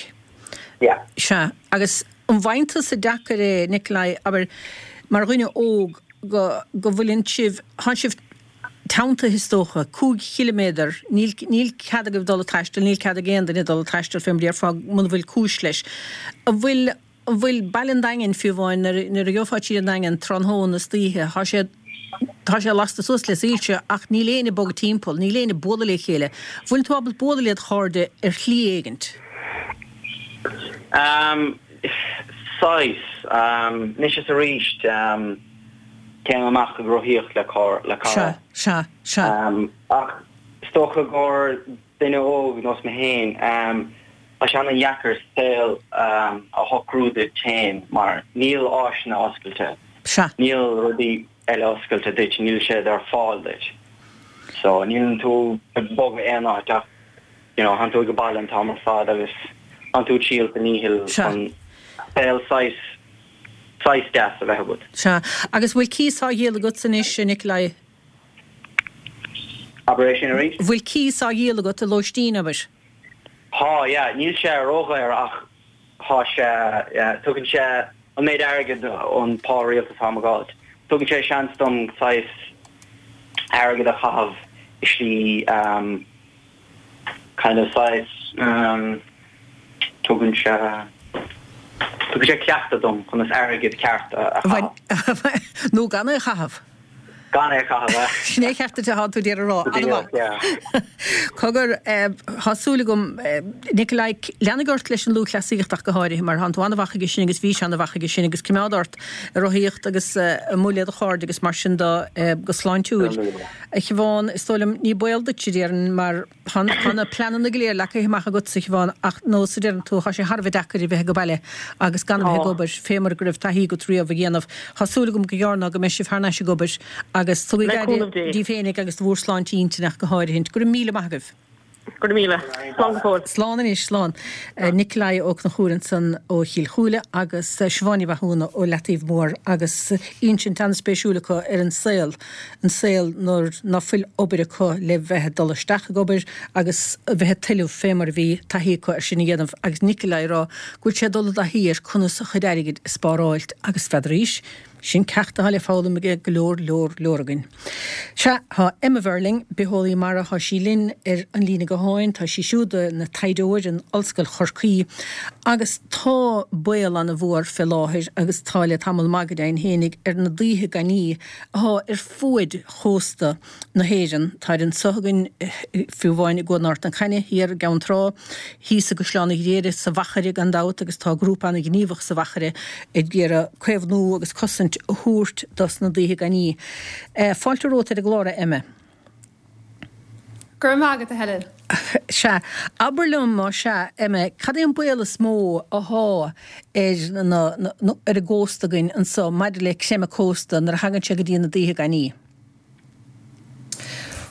Yeah. Sea. Agus an bhfaigheann tusa deacair é, Nikolai, abair, mar dhuine óg, go, go bhfuileann sibh, thánn sibh teanntaithe is dócha, 5 chiliméadar, níl, níl cead agaibh dul ag taisteal, níl cead ag aon duine dul ag taisteal fé mar a déarfá muna bhfuil cúis leis. An bhfuil, an bhfuil baile an Daingin fiú amháin, nuair, nuair a gheofá tríd an Daingean tráthnóna istoíche, thá sé, tá sé lasta suas le soilse ach níl éinne ag bogadh timpeall, níl éinne ag bualadh le chéile. Bhfuil tú ábalta bualadh led chairde ar shlí éigint? Um, saghas. Um, anois is arís, um, téim amach ag rothaíocht le car, le cara. Sea, sea, sea. Um, ach is dócha gur duine óg nós mé féin, um, tá sé an-dheacair saol um, a shocrú duit féin mar níl áiseanna oscailte. Sea. Níl rudaí eile oscailte duit, níl siad ar fáil duit. So níleann tú ag bogadh aon áit ach you know, thánn tú ag baile an t-am ar fad agus thánn tú ag triail do dhícheall chun saol saghas, saghas deas a bheith agat. Sea. Agus bhfuil cíos á dhíol agatsa anois, a Nikolai? Abair é sin arís? Bhfuil cíos á dhíol agat i lóistín, abair? Tá, yeah. Níl sé ródhaor ach tá sé, yeah, tugann sé an méid airgid ón pá rialta atá mé ag fháilt. Tugann sé seans dom saghas airgead a chaitheamh i slí um, kind of saghas um, tugann sé tugann sé cleachtadh dom conas airgead ceart a chaitheamh. Nó gan é a chaitheamh. Gan é a chaitheamh, eh? Sin é ceart duit atá tú ag iarraidh a rá. An-mhaith. Yeah. Cogar, tá súil agam, Nikolai, leanaigh ort leis an lúthchleasaíocht ach go háirithe, mar thánn tú an-mhaith aige sin agus bhís an-mhaith aige sin agus coimeád ort ag rothaíocht agus amuigh le do chairde agus mar sin de go sláintiúil. A Shiobhán, is dóigh liom, ní baol duit, a déarfainn, mar tá na pleananna go léir leagtha amach agatsa, a Shiobhán, ach nós a deireann tú, tá sé thar a bheith deacair a bheith ag baile agus gan a bheith ag obair, fé mar go raibh taithí agat riamh a dhéanamh. Tá súil agam gur gearr ná go mbeidh sibh thar n-ais ag obair agus tugaigí aire daoibh féinig agus do bhur sláinte intinne ach go háirithint. Go raibh míle maith agaibh. Go raibh míle. Slán go fóill. Slán anois, slán. Nikolai Ó Conchúir ansan ó Chill Chúile agus Siobhán Ní Mhathúna ó Leataobh Mór agus insint an-spéisiúil acu ar an saol, an saol nuair ná fuil obair acu le bheith ag dul isteach ag obair agus a bheith ag tuilleamh fé mar a bhí taithí acu ar sin a dhéanamh agus Nikolai ag rá go bhfuil sé ag dul i dtaithí ar conas a chuid airgid a spáráilt agus n'fheadaraís Sin ceacht atá le foghlaim ag go leor, leor, leor againn. Sea, tá Emma Verling, bitheolaí mara, tá sí linn ar an líne gutháin, tá sí siúd ina taighdeoir in Ollscoil Chorcaí agus tá baol an-mhór fé láthair agus tá le tamall maith go deimhin fhéinig ar na daoithe gainní atá ar fuaid chósta na hÉireann. Táid anso againn, fiú amháin i gCuan Ard na Caithne, thiar i gCeann Trá, thíos i gCaisleán an Ghriaire, sa Mhachaire gan dabht agus tá grúpa an-ghníomhach sa Mhachaire ag iarraidh caomhnú agus cosaint a thabhairt dos na daoithe gainní. Fáilte romhat ar an gclár, a Emma. Go raibh maith agat, a Helen. Sea. Abair liom, más ea, Emma, cad é an baol is mó athá ar na, ar an gcósta againn anso maidir le creimeadh cósta nuair a thagann sé go dtí na daoithe gainní?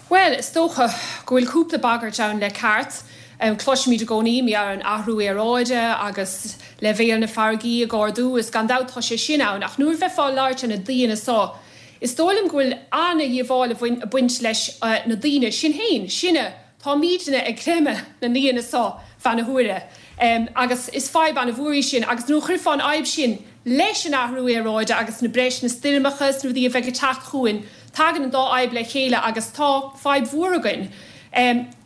Bhuel, is dócha go bhfuil cúpla bagairt ann le ceart. Cloisimid i gcónaí mar gheall ar an athrú aeráide agus leibhéal na farraigí ag ardú, is gan dabht tá sé sin ann, ach nuair a bheifeá ag labhairt ar na daoine so, is dóigh liom go bhfuil an-dhíobháil ag baint leis na daoine, sinn féin, sinne, Táimídne ag creimeadh na ndaoine so feadh na huaire agus is fadhb an-mhór í sin agus nuair a chuirfeá an fhadhb sin leis an athrú aeráide agus na breis na stoirmeacha is na rudaí a bheidh ag teacht chugainn, tagann an dá fhadhb le chéile agus tá fadhb mhór againn.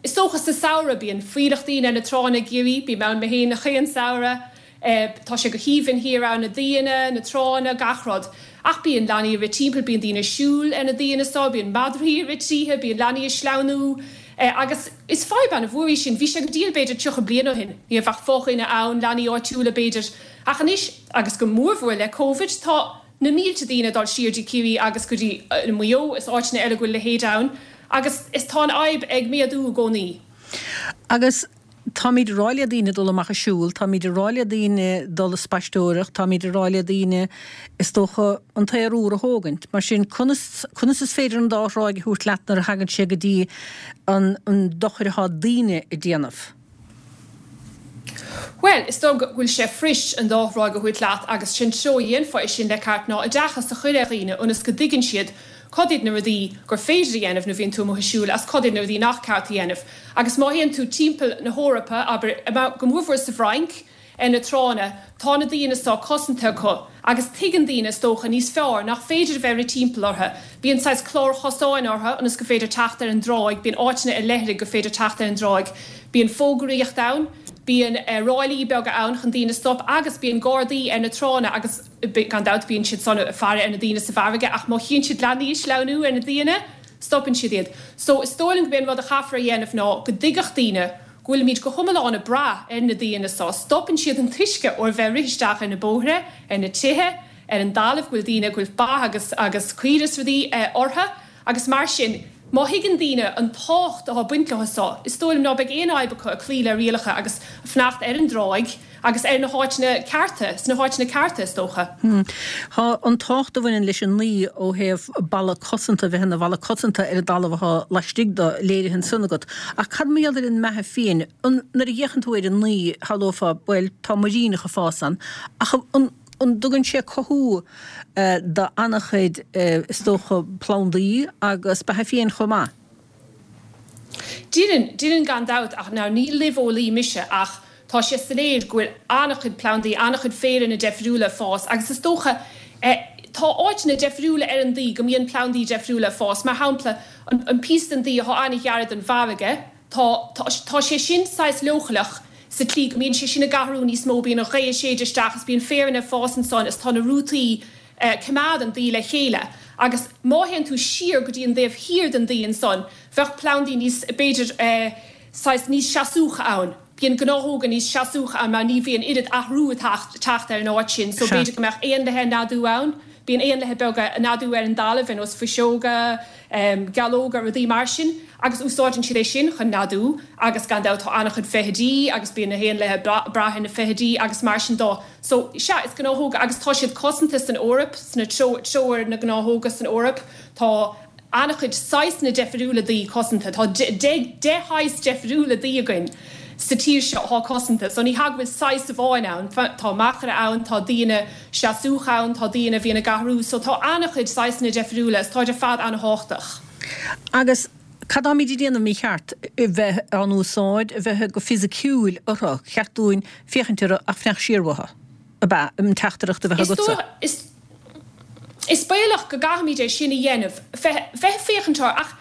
Is dócha sa samhradh bíonn fuílleach daoine ar na tránna i gCiarraí, bím ann mé féin chaon samhradh, Tá sé go haoibhinn thiar ann, na daoine, na tránna, gach rud. Ach bíonn leanaí ag rith timpeall, bíonn daoine ag siúl ar na daoine so, bíonn madraí ag rith tríothu, bíonn leanaí ag sleamhnú. Agus is fadhb an-mhór í sin. Bhí sé go diail b'fhéidir 30 bliain ó shin. Ní raibh ach fo-dhuine ann, leanaí áitiúla b'fhéidir. Ach anois, agus go mórmhór le Covid, tá na mílte daoine ag dul siar dtí Ciarraí agus go dtí Maigh Eo is áiteanna eile go bhfuil a leithéid ann. Agus is tá an fhadhb ag méadú i gcónaí. Agus Táimid ag rá le daoine dul amach ag siúl, táimid ag rá le daoine dul ag spaisteoireacht, táimid ag rá le daoine, is dócha, an t-aer úr a thógaint. Mar sin, conas, conas is féidir an dá thráigh a thabhairt leat nuair a thagann sé go dtí an, an dochar atá daoine ag déanamh? Bhuel, is dóigh go bhfuil sé fuirist an dá thráigh a thabhairt leat agus sé'n treo a dhéanfá é sin le ceart ná oideachas a chur ar dhaoine ionas go dtuigeann siad cad iad na rudaí gur féidir a dhéanamh nuair a bhíonn tú amuigh ag siúl agus cad iad na rudaí nach ceart a dhéanamh. Agus má théann tú timpeall na hEorpa, abair, go mórmhór sa bhFrainc, ar na tránna, tá na daoine so cosanta acu agus tuigeann daoine, is dócha, níos fearr nach féidir a bheith ag rith timpeall orthu. Bíonn saghas cláir chosáin orthu ionas gur féidir teacht ar an dtráigh, bíonn áiteanna ar leithligh gur féidir teacht ar an dtráigh, bíonn fógraíocht ann, bíonn ráillí beaga ann chun daoine stop agus bíonn gardaí ar na tránna agus gan dabht bíonn siad san ag faire ar na daoine sa bhfarraige ach má chíonn siad leanaí ag sleamhnú ar na daoine, stopann siad iad. So is dóigh liom go b'é an rud a chaithfear a dhéanamh ná go dtuigfeadh daoine go bhfuilimid go hiomlán ag brath ar na daoine so, stopann siad an t-uisce ó bheith ag rith isteach ar na bóithre, ar na tithe, ar an dtalamh, go bhfuil daoine, go bhfuil ba agus agus caoire is rudaí orthu agus mar sin, má thuigeann daoine an tábhacht atá ag baint leo so, is dóigh liom ná beidh aon fhadhb acu ag cloí le rialacha agus fanacht ar an dtráigh agus ar na háiteanna cearta, sna háiteanna cearta is dócha. Tá an tábhacht a bhaineann leis an nDaoi ó thaobh balla cosanta, a bheith ina bhalla cosanta ar an dtalamh atá laistigh de, léirithe ansan agat. Ach cad mar gheall ar an mbeatha fiáin? An, nuair a fhéachann tú ar an nDaoi, shamhlófá, bhuel, tá muiríneach ag fás ann, ach an, an dtugann sé cothú do an-chuid, is dócha, plandaí agus beatha fiáin chomh maith? Deineann, deineann gan dabht ach now ní luibheolaí mise ach tá sé soiléir go bhfuil an-chuid plandaí, an-chuid féireanna deifriúla ag fás agus is dócha eh tá áiteanna deifriúla ar an Daoi go mbíonn plandaí deifriúla ag fás. Mar shampla, an, an píosa den Daoi atá an-ghar don bhfarraige, tá, tá, tá sé sin saghas leochaileach sa tslí go mbíonn sé sin ag athrú níos mó, bíonn an ghaoth ag séideadh isteach is bíonn féireanna ag fás ansan is tá na rútaí eh coimeád an Daoi le chéile agus má théann tú siar go dtí an dtaobh thiar den Daoi ansan bheadh plandaí níos, b'fhéidir eh saghas níos seasúcha ann. Bíonn gnáthóga níos seasúcha ann mar ní bhíonn oiread athrú ag teacht ar an áit sin so b'fhéidir go mbeadh éanlaithe ag neadú ann, bíonn éanlaithe beaga ag neadú ar an dtalamh ar nós fuiseoga, gealóga, rudaí mar sin agus úsáideann siad é sin chun neadú agus gan dabht tá an-chuid feithidí agus bíonn na héanlaithe ag brath ar na feithidí agus mar sin de. So, sea, is gnáthóga agus tá siad cosanta san Eoraip, sna treoir na ngnáthóga san Eoraip, tá an-chuid saghsanna deifiriúla daoi cosanta. Tá deich shaghas deifiriúla daoi againn sa tír seo atá cosanta. So ní hea go bhfuil saghas amháin ann. Tá machaire ann, tá daoine seasúcha ann, tá daoine a bhíonn ag athrú. So tá an-chuid saghsanna deifiriúla is táid ar fad an-thábhachtach. Agus cad táimid a déanamh mícheart? A bheith á n-úsáid, a bheith go fisiciúil orthu. Cheart dúinn féachaint orthu ach fanacht siar uathu. Ab ea an teachtaireacht a bheadh agatsa? Is Is baolach go gcaithfimid é sin a dhéanamh, bheith ag féachaint orthu, ach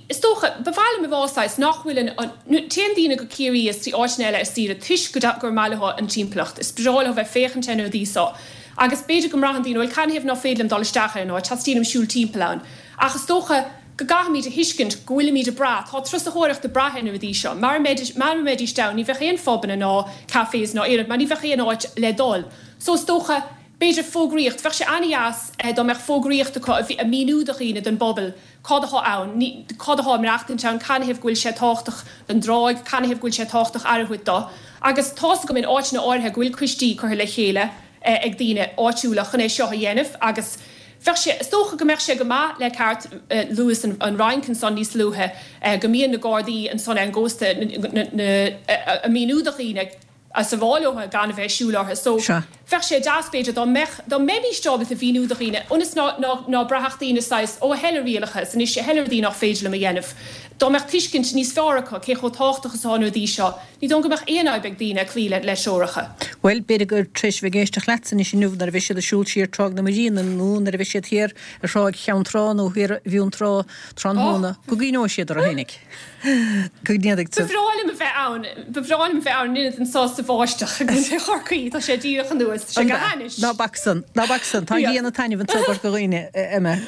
is dócha, ba mhaith liom a rá saghas nach bhfuil an, an, téann daoine go Ciarraí is dtí áiteanna eile ar saoire toisc go, gur maith leo an timpeallacht, is breá leo bheith ag féachaint ar na rudaí seo agus b'fhéidir go mbraitheann daoine, bhuel canathaobh nach féidir liom dul isteach ar an áit, teastaíonn uaim siúl timpeall ann. Ach is dócha go gcaithfimid a thuiscint go bhfuilimid ag brath, tá turasóireacht ag brath ar na rudaí seo. Mara mbeidís, mara mbeidís ann ní bheadh aon phubanna ná cafés ná aon rud mar ní bheadh aon áit le dul. So is dócha, B'fhéidir fógraíocht, bheadh sé an-dheas dá mbeadh fógraíocht acu ag míniú do dhaoine, don bpobal, cad atá ann, cad atá ag maireachtaint ann, canathaobh go bhfuil sé tábhachtach don dtráigh, canathaobh go bhfuil sé tábhachtach aire a thabhairt dó. Agus tá's agam in áiteanna áirithe go bhfuil coistí curtha le chéile ag daoine áitiúla chun é seo a dhéanamh agus bheadh sé, is dócha go mbeadh sé go maith le ceart, luas an Fhrainc ansan níos luaithe, go mbíonn na gardaí ansan ar an gcósta ag míniú do dhaoine, agus ag rá leo gan a bheith ag siúl orthu. So, Sea. bheadh sé deas, b'fhéidir, dá mbeadh, dá mbeimíst ábalta mhíniú do dhaoine, ionas ná, ná, ná braithfeadh daoine saghas, ó, a thuilleadh rialacha, is anois a thuilleadh rudaí nach féidir liom a dhéanamh. Dá mbeadh tuiscint níos fearr acu cé chomh tábhachtach is atá na rudaí seo, ní dóigh liom go mbeadh aon fhadhb ag daoine cloí le, le treoracha. Bhuel, b'fhéidir gur tar éis a bheith ag éisteacht leatsa anois inniu, nuair a bheidh siad ag siúl siar Tráigh na Muiríne nó nuair a bheidh siad thiar ar Thráigh Cheann Trá nó thiar i bhFionntrá tráthnóna, go gcuimhneoidh siad orthu fhéinig. Go ndéanfaidh Ba bhreá liom a bheith ann, ba bhreá liom a bheith ann in ionad anso sa bháisteach i gContae Chorcaí, tá sé díreach anuas, tá sé go hainnis. Ná bac san, ná bac san, tá an ghrian ag taitneamh anseo i gCorca Dhuibhne, Emma.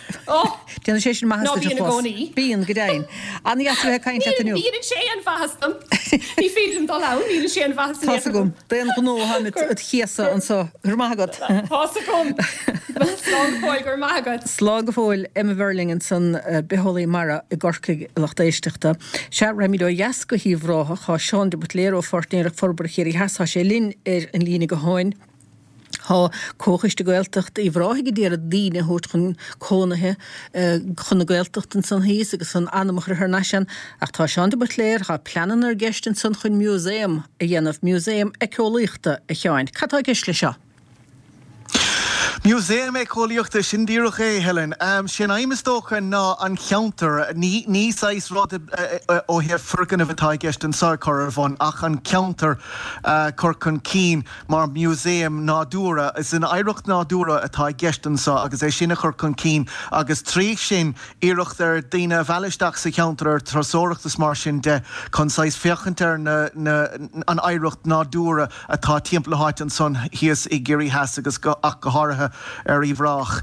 Déanann sé sin maitheas Ná duit bíonn i a chlos. gcónaí. Bíonn, go deimhin. An-dheas a bheith ag caint leat inniu. Ní dhéanann sé aon mhaitheas dom. Ní féidir liom dul ann, ní dhéanann sé aon mhaitheas in Tá's aon chor agam. dom. D'aon ghnó táimid id chéasadh anso. Go raibh maith agat. Tá's agam. Slán go fóill, go raibh maith agat. Slán go fóill, Emma Verling ansan, bitheolaí mara i gCorcaigh, a lucht éisteachta. Sea, raghaimid ó dheas go hUíbh Ráthach. Tá Seán de Buitléir ó Pháirtnéireacht Forbartha Chiarraí Theas, tá sé linn ar an líne gutháin. Tá Comhchoiste Gaeltacht Uíbh Ráthaigh ag iarraidh daoine a thabhairt chun cónaithe chun na Gaeltachta ansan thíos agus chun anam a chur thar n-ais ann. Ach tá Seán de Buitléir, tá pleananna i gceist ansan chun músaem a dhéanamh, músaem éiceolaíochta, a Sheáin. Cad tá i gceist leis seo? Músaem éiceolaíochta, sin díreach é, Helen. Sé an aidhm is dócha ná an cheantar, ní ní saghas rud ó thaobh foirgneamh atá i gceist anseo a chur ar bhun ach an ceantar a chur chun cinn mar mhúsaem nádúrtha. Is an oidhreacht nádúrtha atá i gceist anseo agus é sin a chur chun cinn agus trí sin iarracht ar daoine a mhealladh isteach sa cheantar ar turasóireacht is mar sin de chun saghas féachaint ar na na an oidhreacht nádúrtha atá timpeall na háite ansan thíos i gCiarraí Theas agus ach go háirithe ar Uíbh Ráthach.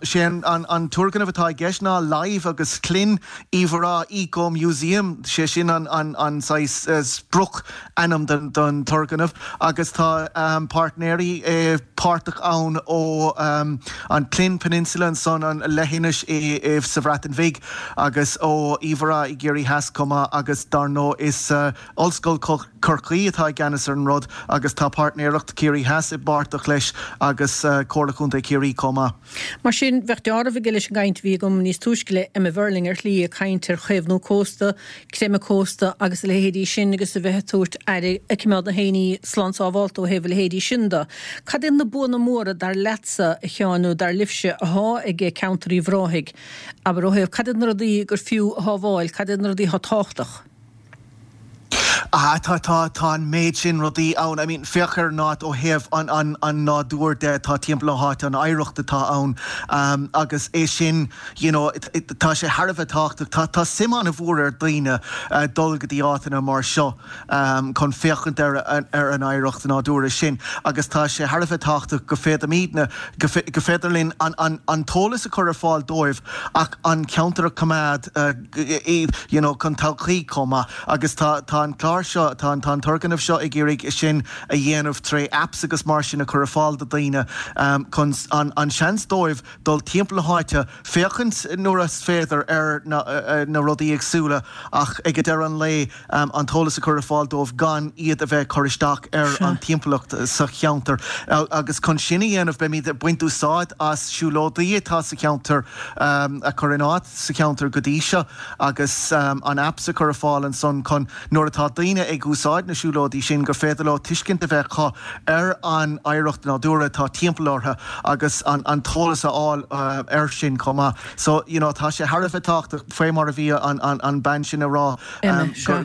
Sé an turgnamh atá i gceist ná Live agus Llyn Uíbh Ráthach Eco Museum, sé sin an saghas sprioc ainm don turgnamh agus tá páirtnéirí páirteach ann ó an Llyn Peninsula ansan, an leithinis sa Bhreatain Bhig agus ó Uíbh Ráthach i gCiarraí Theas chomh maith agus dar ndóigh is Ollscoil Chorcaí atá i gceannas ar an rud agus tá Páirtnéireacht Chiarraí Theas i bpáirteach leis agus Comhairle Chontae Chiarraí chomh maith. Mar sin, bheadh deáramh aige leis an gcaint a bhí agam níos túisce le Emma Verling ar shlí, ag caint ar chaomhnú cósta, creimeadh cósta agus a leithéidí sin agus a bheith ag tabhairt aire, ag coimeád na héinní slán sábhálta ó thaobh a leithéidí sin de. Cad iad na buanna móra dar leatsa, a Sheáin, nó dar libhse, athá ag ceantar Uíbh Ráthaigh? Abair, ó thaobh cad iad na rudaí gur fiú a shábháil, cad iad na rudaí athá tábhachtach? Ah, tá, tá, tá an méid sin rudaí ann. I mean, féach ar an áit ó thaobh an, an, an nádúir de atá timpeall na háite, an oidhreacht atá ann, um, agus é sin, you know, tá sé thar a bheith tábhachtach. Tá, tá suim an-mhór ar daoine uh, dul go dtí áiteanna mar seo um, chun féachaint ar, ar an oidhreacht nádúrtha sin agus tá sé thar a bheith tábhachtach go féadaimidne, go, go féidir linn an, an, an t-eolas a chur ar fáil dóibh ach an ceantar a choimeád uh, you know chun todhchaí chomh maith agus tá tá an clár seo tá an tá an turgnamh seo ag iarraidh sin a dhéanamh tré apps agus mar sin a chur ar fáil do daoine chun an an seans dóibh dul timpeall na háite féachaint nuair is féidir ar na na rudaí éagsúla ach ag deireadh an lae an t-eolas a chur ar fáil dóibh gan iad a bheith ag cur isteach ar an timpeallacht sa cheantar agus chun sin a dhéanamh beimid ag baint úsáid as siúlóidí atá sa cheantar a chur in áit sa cheantar go dtí seo agus an apps a chur ar fáil ansan chun nuair atá daoine ag úsáid na siúlóidí sin gur féidir leo tuiscint a bheith acu ar an oidhreacht nádúrtha atá timpeall orthu agus an t-eolas a fháil air sin chomh maith. So, you know, tá sé thar a bheith tábhachtach, faoi mar a bhí an bean sin a rá,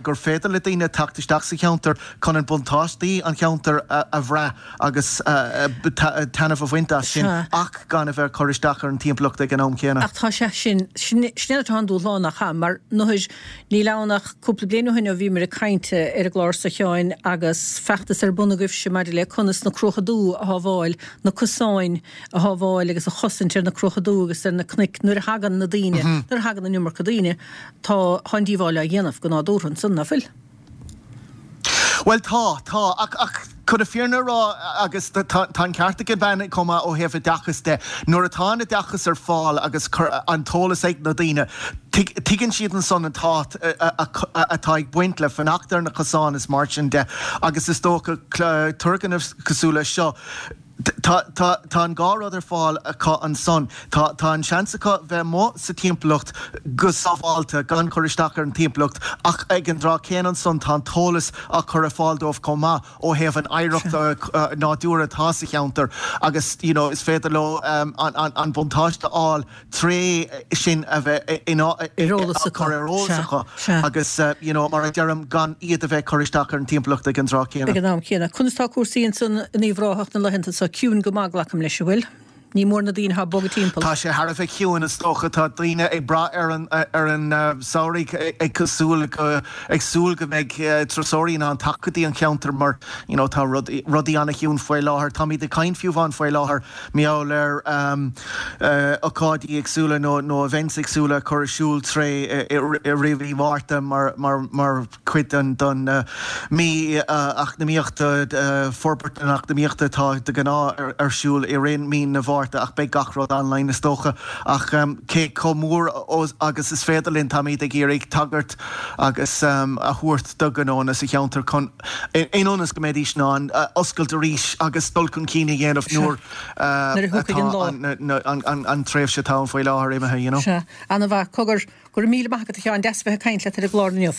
gur féidir le daoine teacht isteach sa cheantar chun an buntáistí an cheantair a bhrath agus taitneamh a bhaint as sin ach gan a bheith ag cur isteach ar an timpeallacht ag an am céanna. Ach tá sé sin, sin atá an dúshlán nach ea? Mar nuair, níl ann ach cúpla bliain ó shin ó bhíomar ag caint ar an gclár seo a Sheáin agus feachtas ar bun agaibhse maidir le conas na Cruacha Dubha a shábháil, na cosáin a shábháil agus a chosaint ar na Cruacha Dubha agus ar na cnoic nuair a thagann na daoine, nuair a thagann an iomarca daoine, tá, tá an díobháil á dhéanamh go nádúrtha ansan, ná fuil? Bhuel tá, tá, ach, ach chun na fírinne a rá, agus tá, tá an ceart ag an bhean chomh maith ó thaobh oideachas de, nuair atá an oideachas ar fáil agus an t-eolas ag na daoine, tuigeann siad ansan an tábhacht atá ag baint le fanacht ar na cosáin is mar sin de agus is dócha turgnamh cosúil leis seo, Tá, tá, tá an dhá rud ar fáil acu ansan. Tá, tá an seans acu bheith amuigh sa timpeallacht go sábháilte, gan cur isteach ar an timpeallacht, ach ag an dtráth céanna ansan tá an t-eolas á chur ar fáil dóibh chomh maith ó thaobh an oidhreacht nádúrtha atá sa cheantar agus you know is féidir leo an, an, an buntáiste a fháil tré sin a bheith in Ar eolas acu. ar eolas acu agus you know mar a deirim gan iad a bheith ag cur isteach ar an timpeallacht ag an dtráth céanna. Ag an am céanna. Conas tá cúrsaí ansan in Uíbh Ráthach na laethanta seo? Ciúin go maith, glacaim leis, an bhfuil? Ní mór na daoine atá ag bogadh timpeall. Tá sé thar a bheith ciúin is dócha. Tá daoine ag brath ar an ar an samhradh ag cosúil go ag súil go mbeidh turasóirí in ann teacht go dtí an cheantar mar you know tá rudaí an-chiúin faoi láthair. Táimid ag caint fiú amháin faoi láthair Mar gheall ar ócáidí éagsúla nó events éagsúla a chur ar siúl tré i rith mhí Mhárta mar chuid den mhí eacnamaíochta, forbairt na eacnamaíochta atá de ghnáth ar siúl i rith mí na Mhárta ach beidh gach rud online is dócha. Ach cé chomh mór agus is féidir linn táimid ag iarraidh tagairt agus a thabhairt do ghnónna sa cheantar chun in ionas go mbeidís in ann oscailt arís agus dul chun cinn a dhéanamh nuair atá an tréimhse atá ann faoi láthair imithe, you know. Sea. Ana-mhaith. Cogar, go raibh míle maith agat a Sheáin, deas a bheith ag caint leat ar an gclár inniu.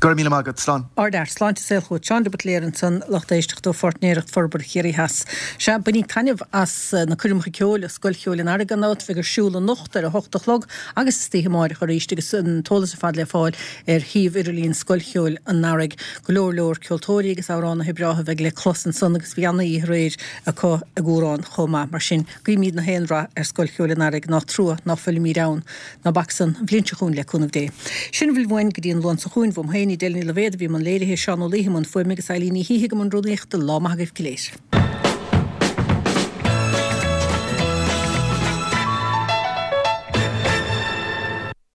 Go raibh míle maith agat. Slán. Ardfhear. Sláinte is saol chugat. Seán de Buitléar ansan, lucht éisteachta ó Pháirtnéireacht Forbartha Chiarraí Theas. Sea, bainíg taitneamh as na coirmeacha ceoil i Scoil Cheoil an Earraigh gan dabht, bheidh ar siúl anocht ar a hocht a chlog agus istoíche amáireach arís agus an t-eolas ar fad le fáil ar shuíomh idirlín Scoil Cheoil an Earraigh. Go leor leor ceoltóirí agus amhránaithe breátha a bheidh le clos ansan agus bhí ana-oíche aréir acu i gCuarán chomh maith. Mar sin, guímíd na haon rath ar Scoil Cheoil an Earraigh, nach trua ná fuilimíd ann. Ná bac san, an bhliain seo chugainn le cúnamh Dé. Sin a bhfuil uainn go dtí an Luan seo chugainn. Uaim féin, Edel Ní Loibhéad a bhí i mbun léirithe, Seán Ó Laoithe i mbun fuaime agus Eileen Ní Shíthigh i mbun rúnaíochta. Lá maith agaibh go léir.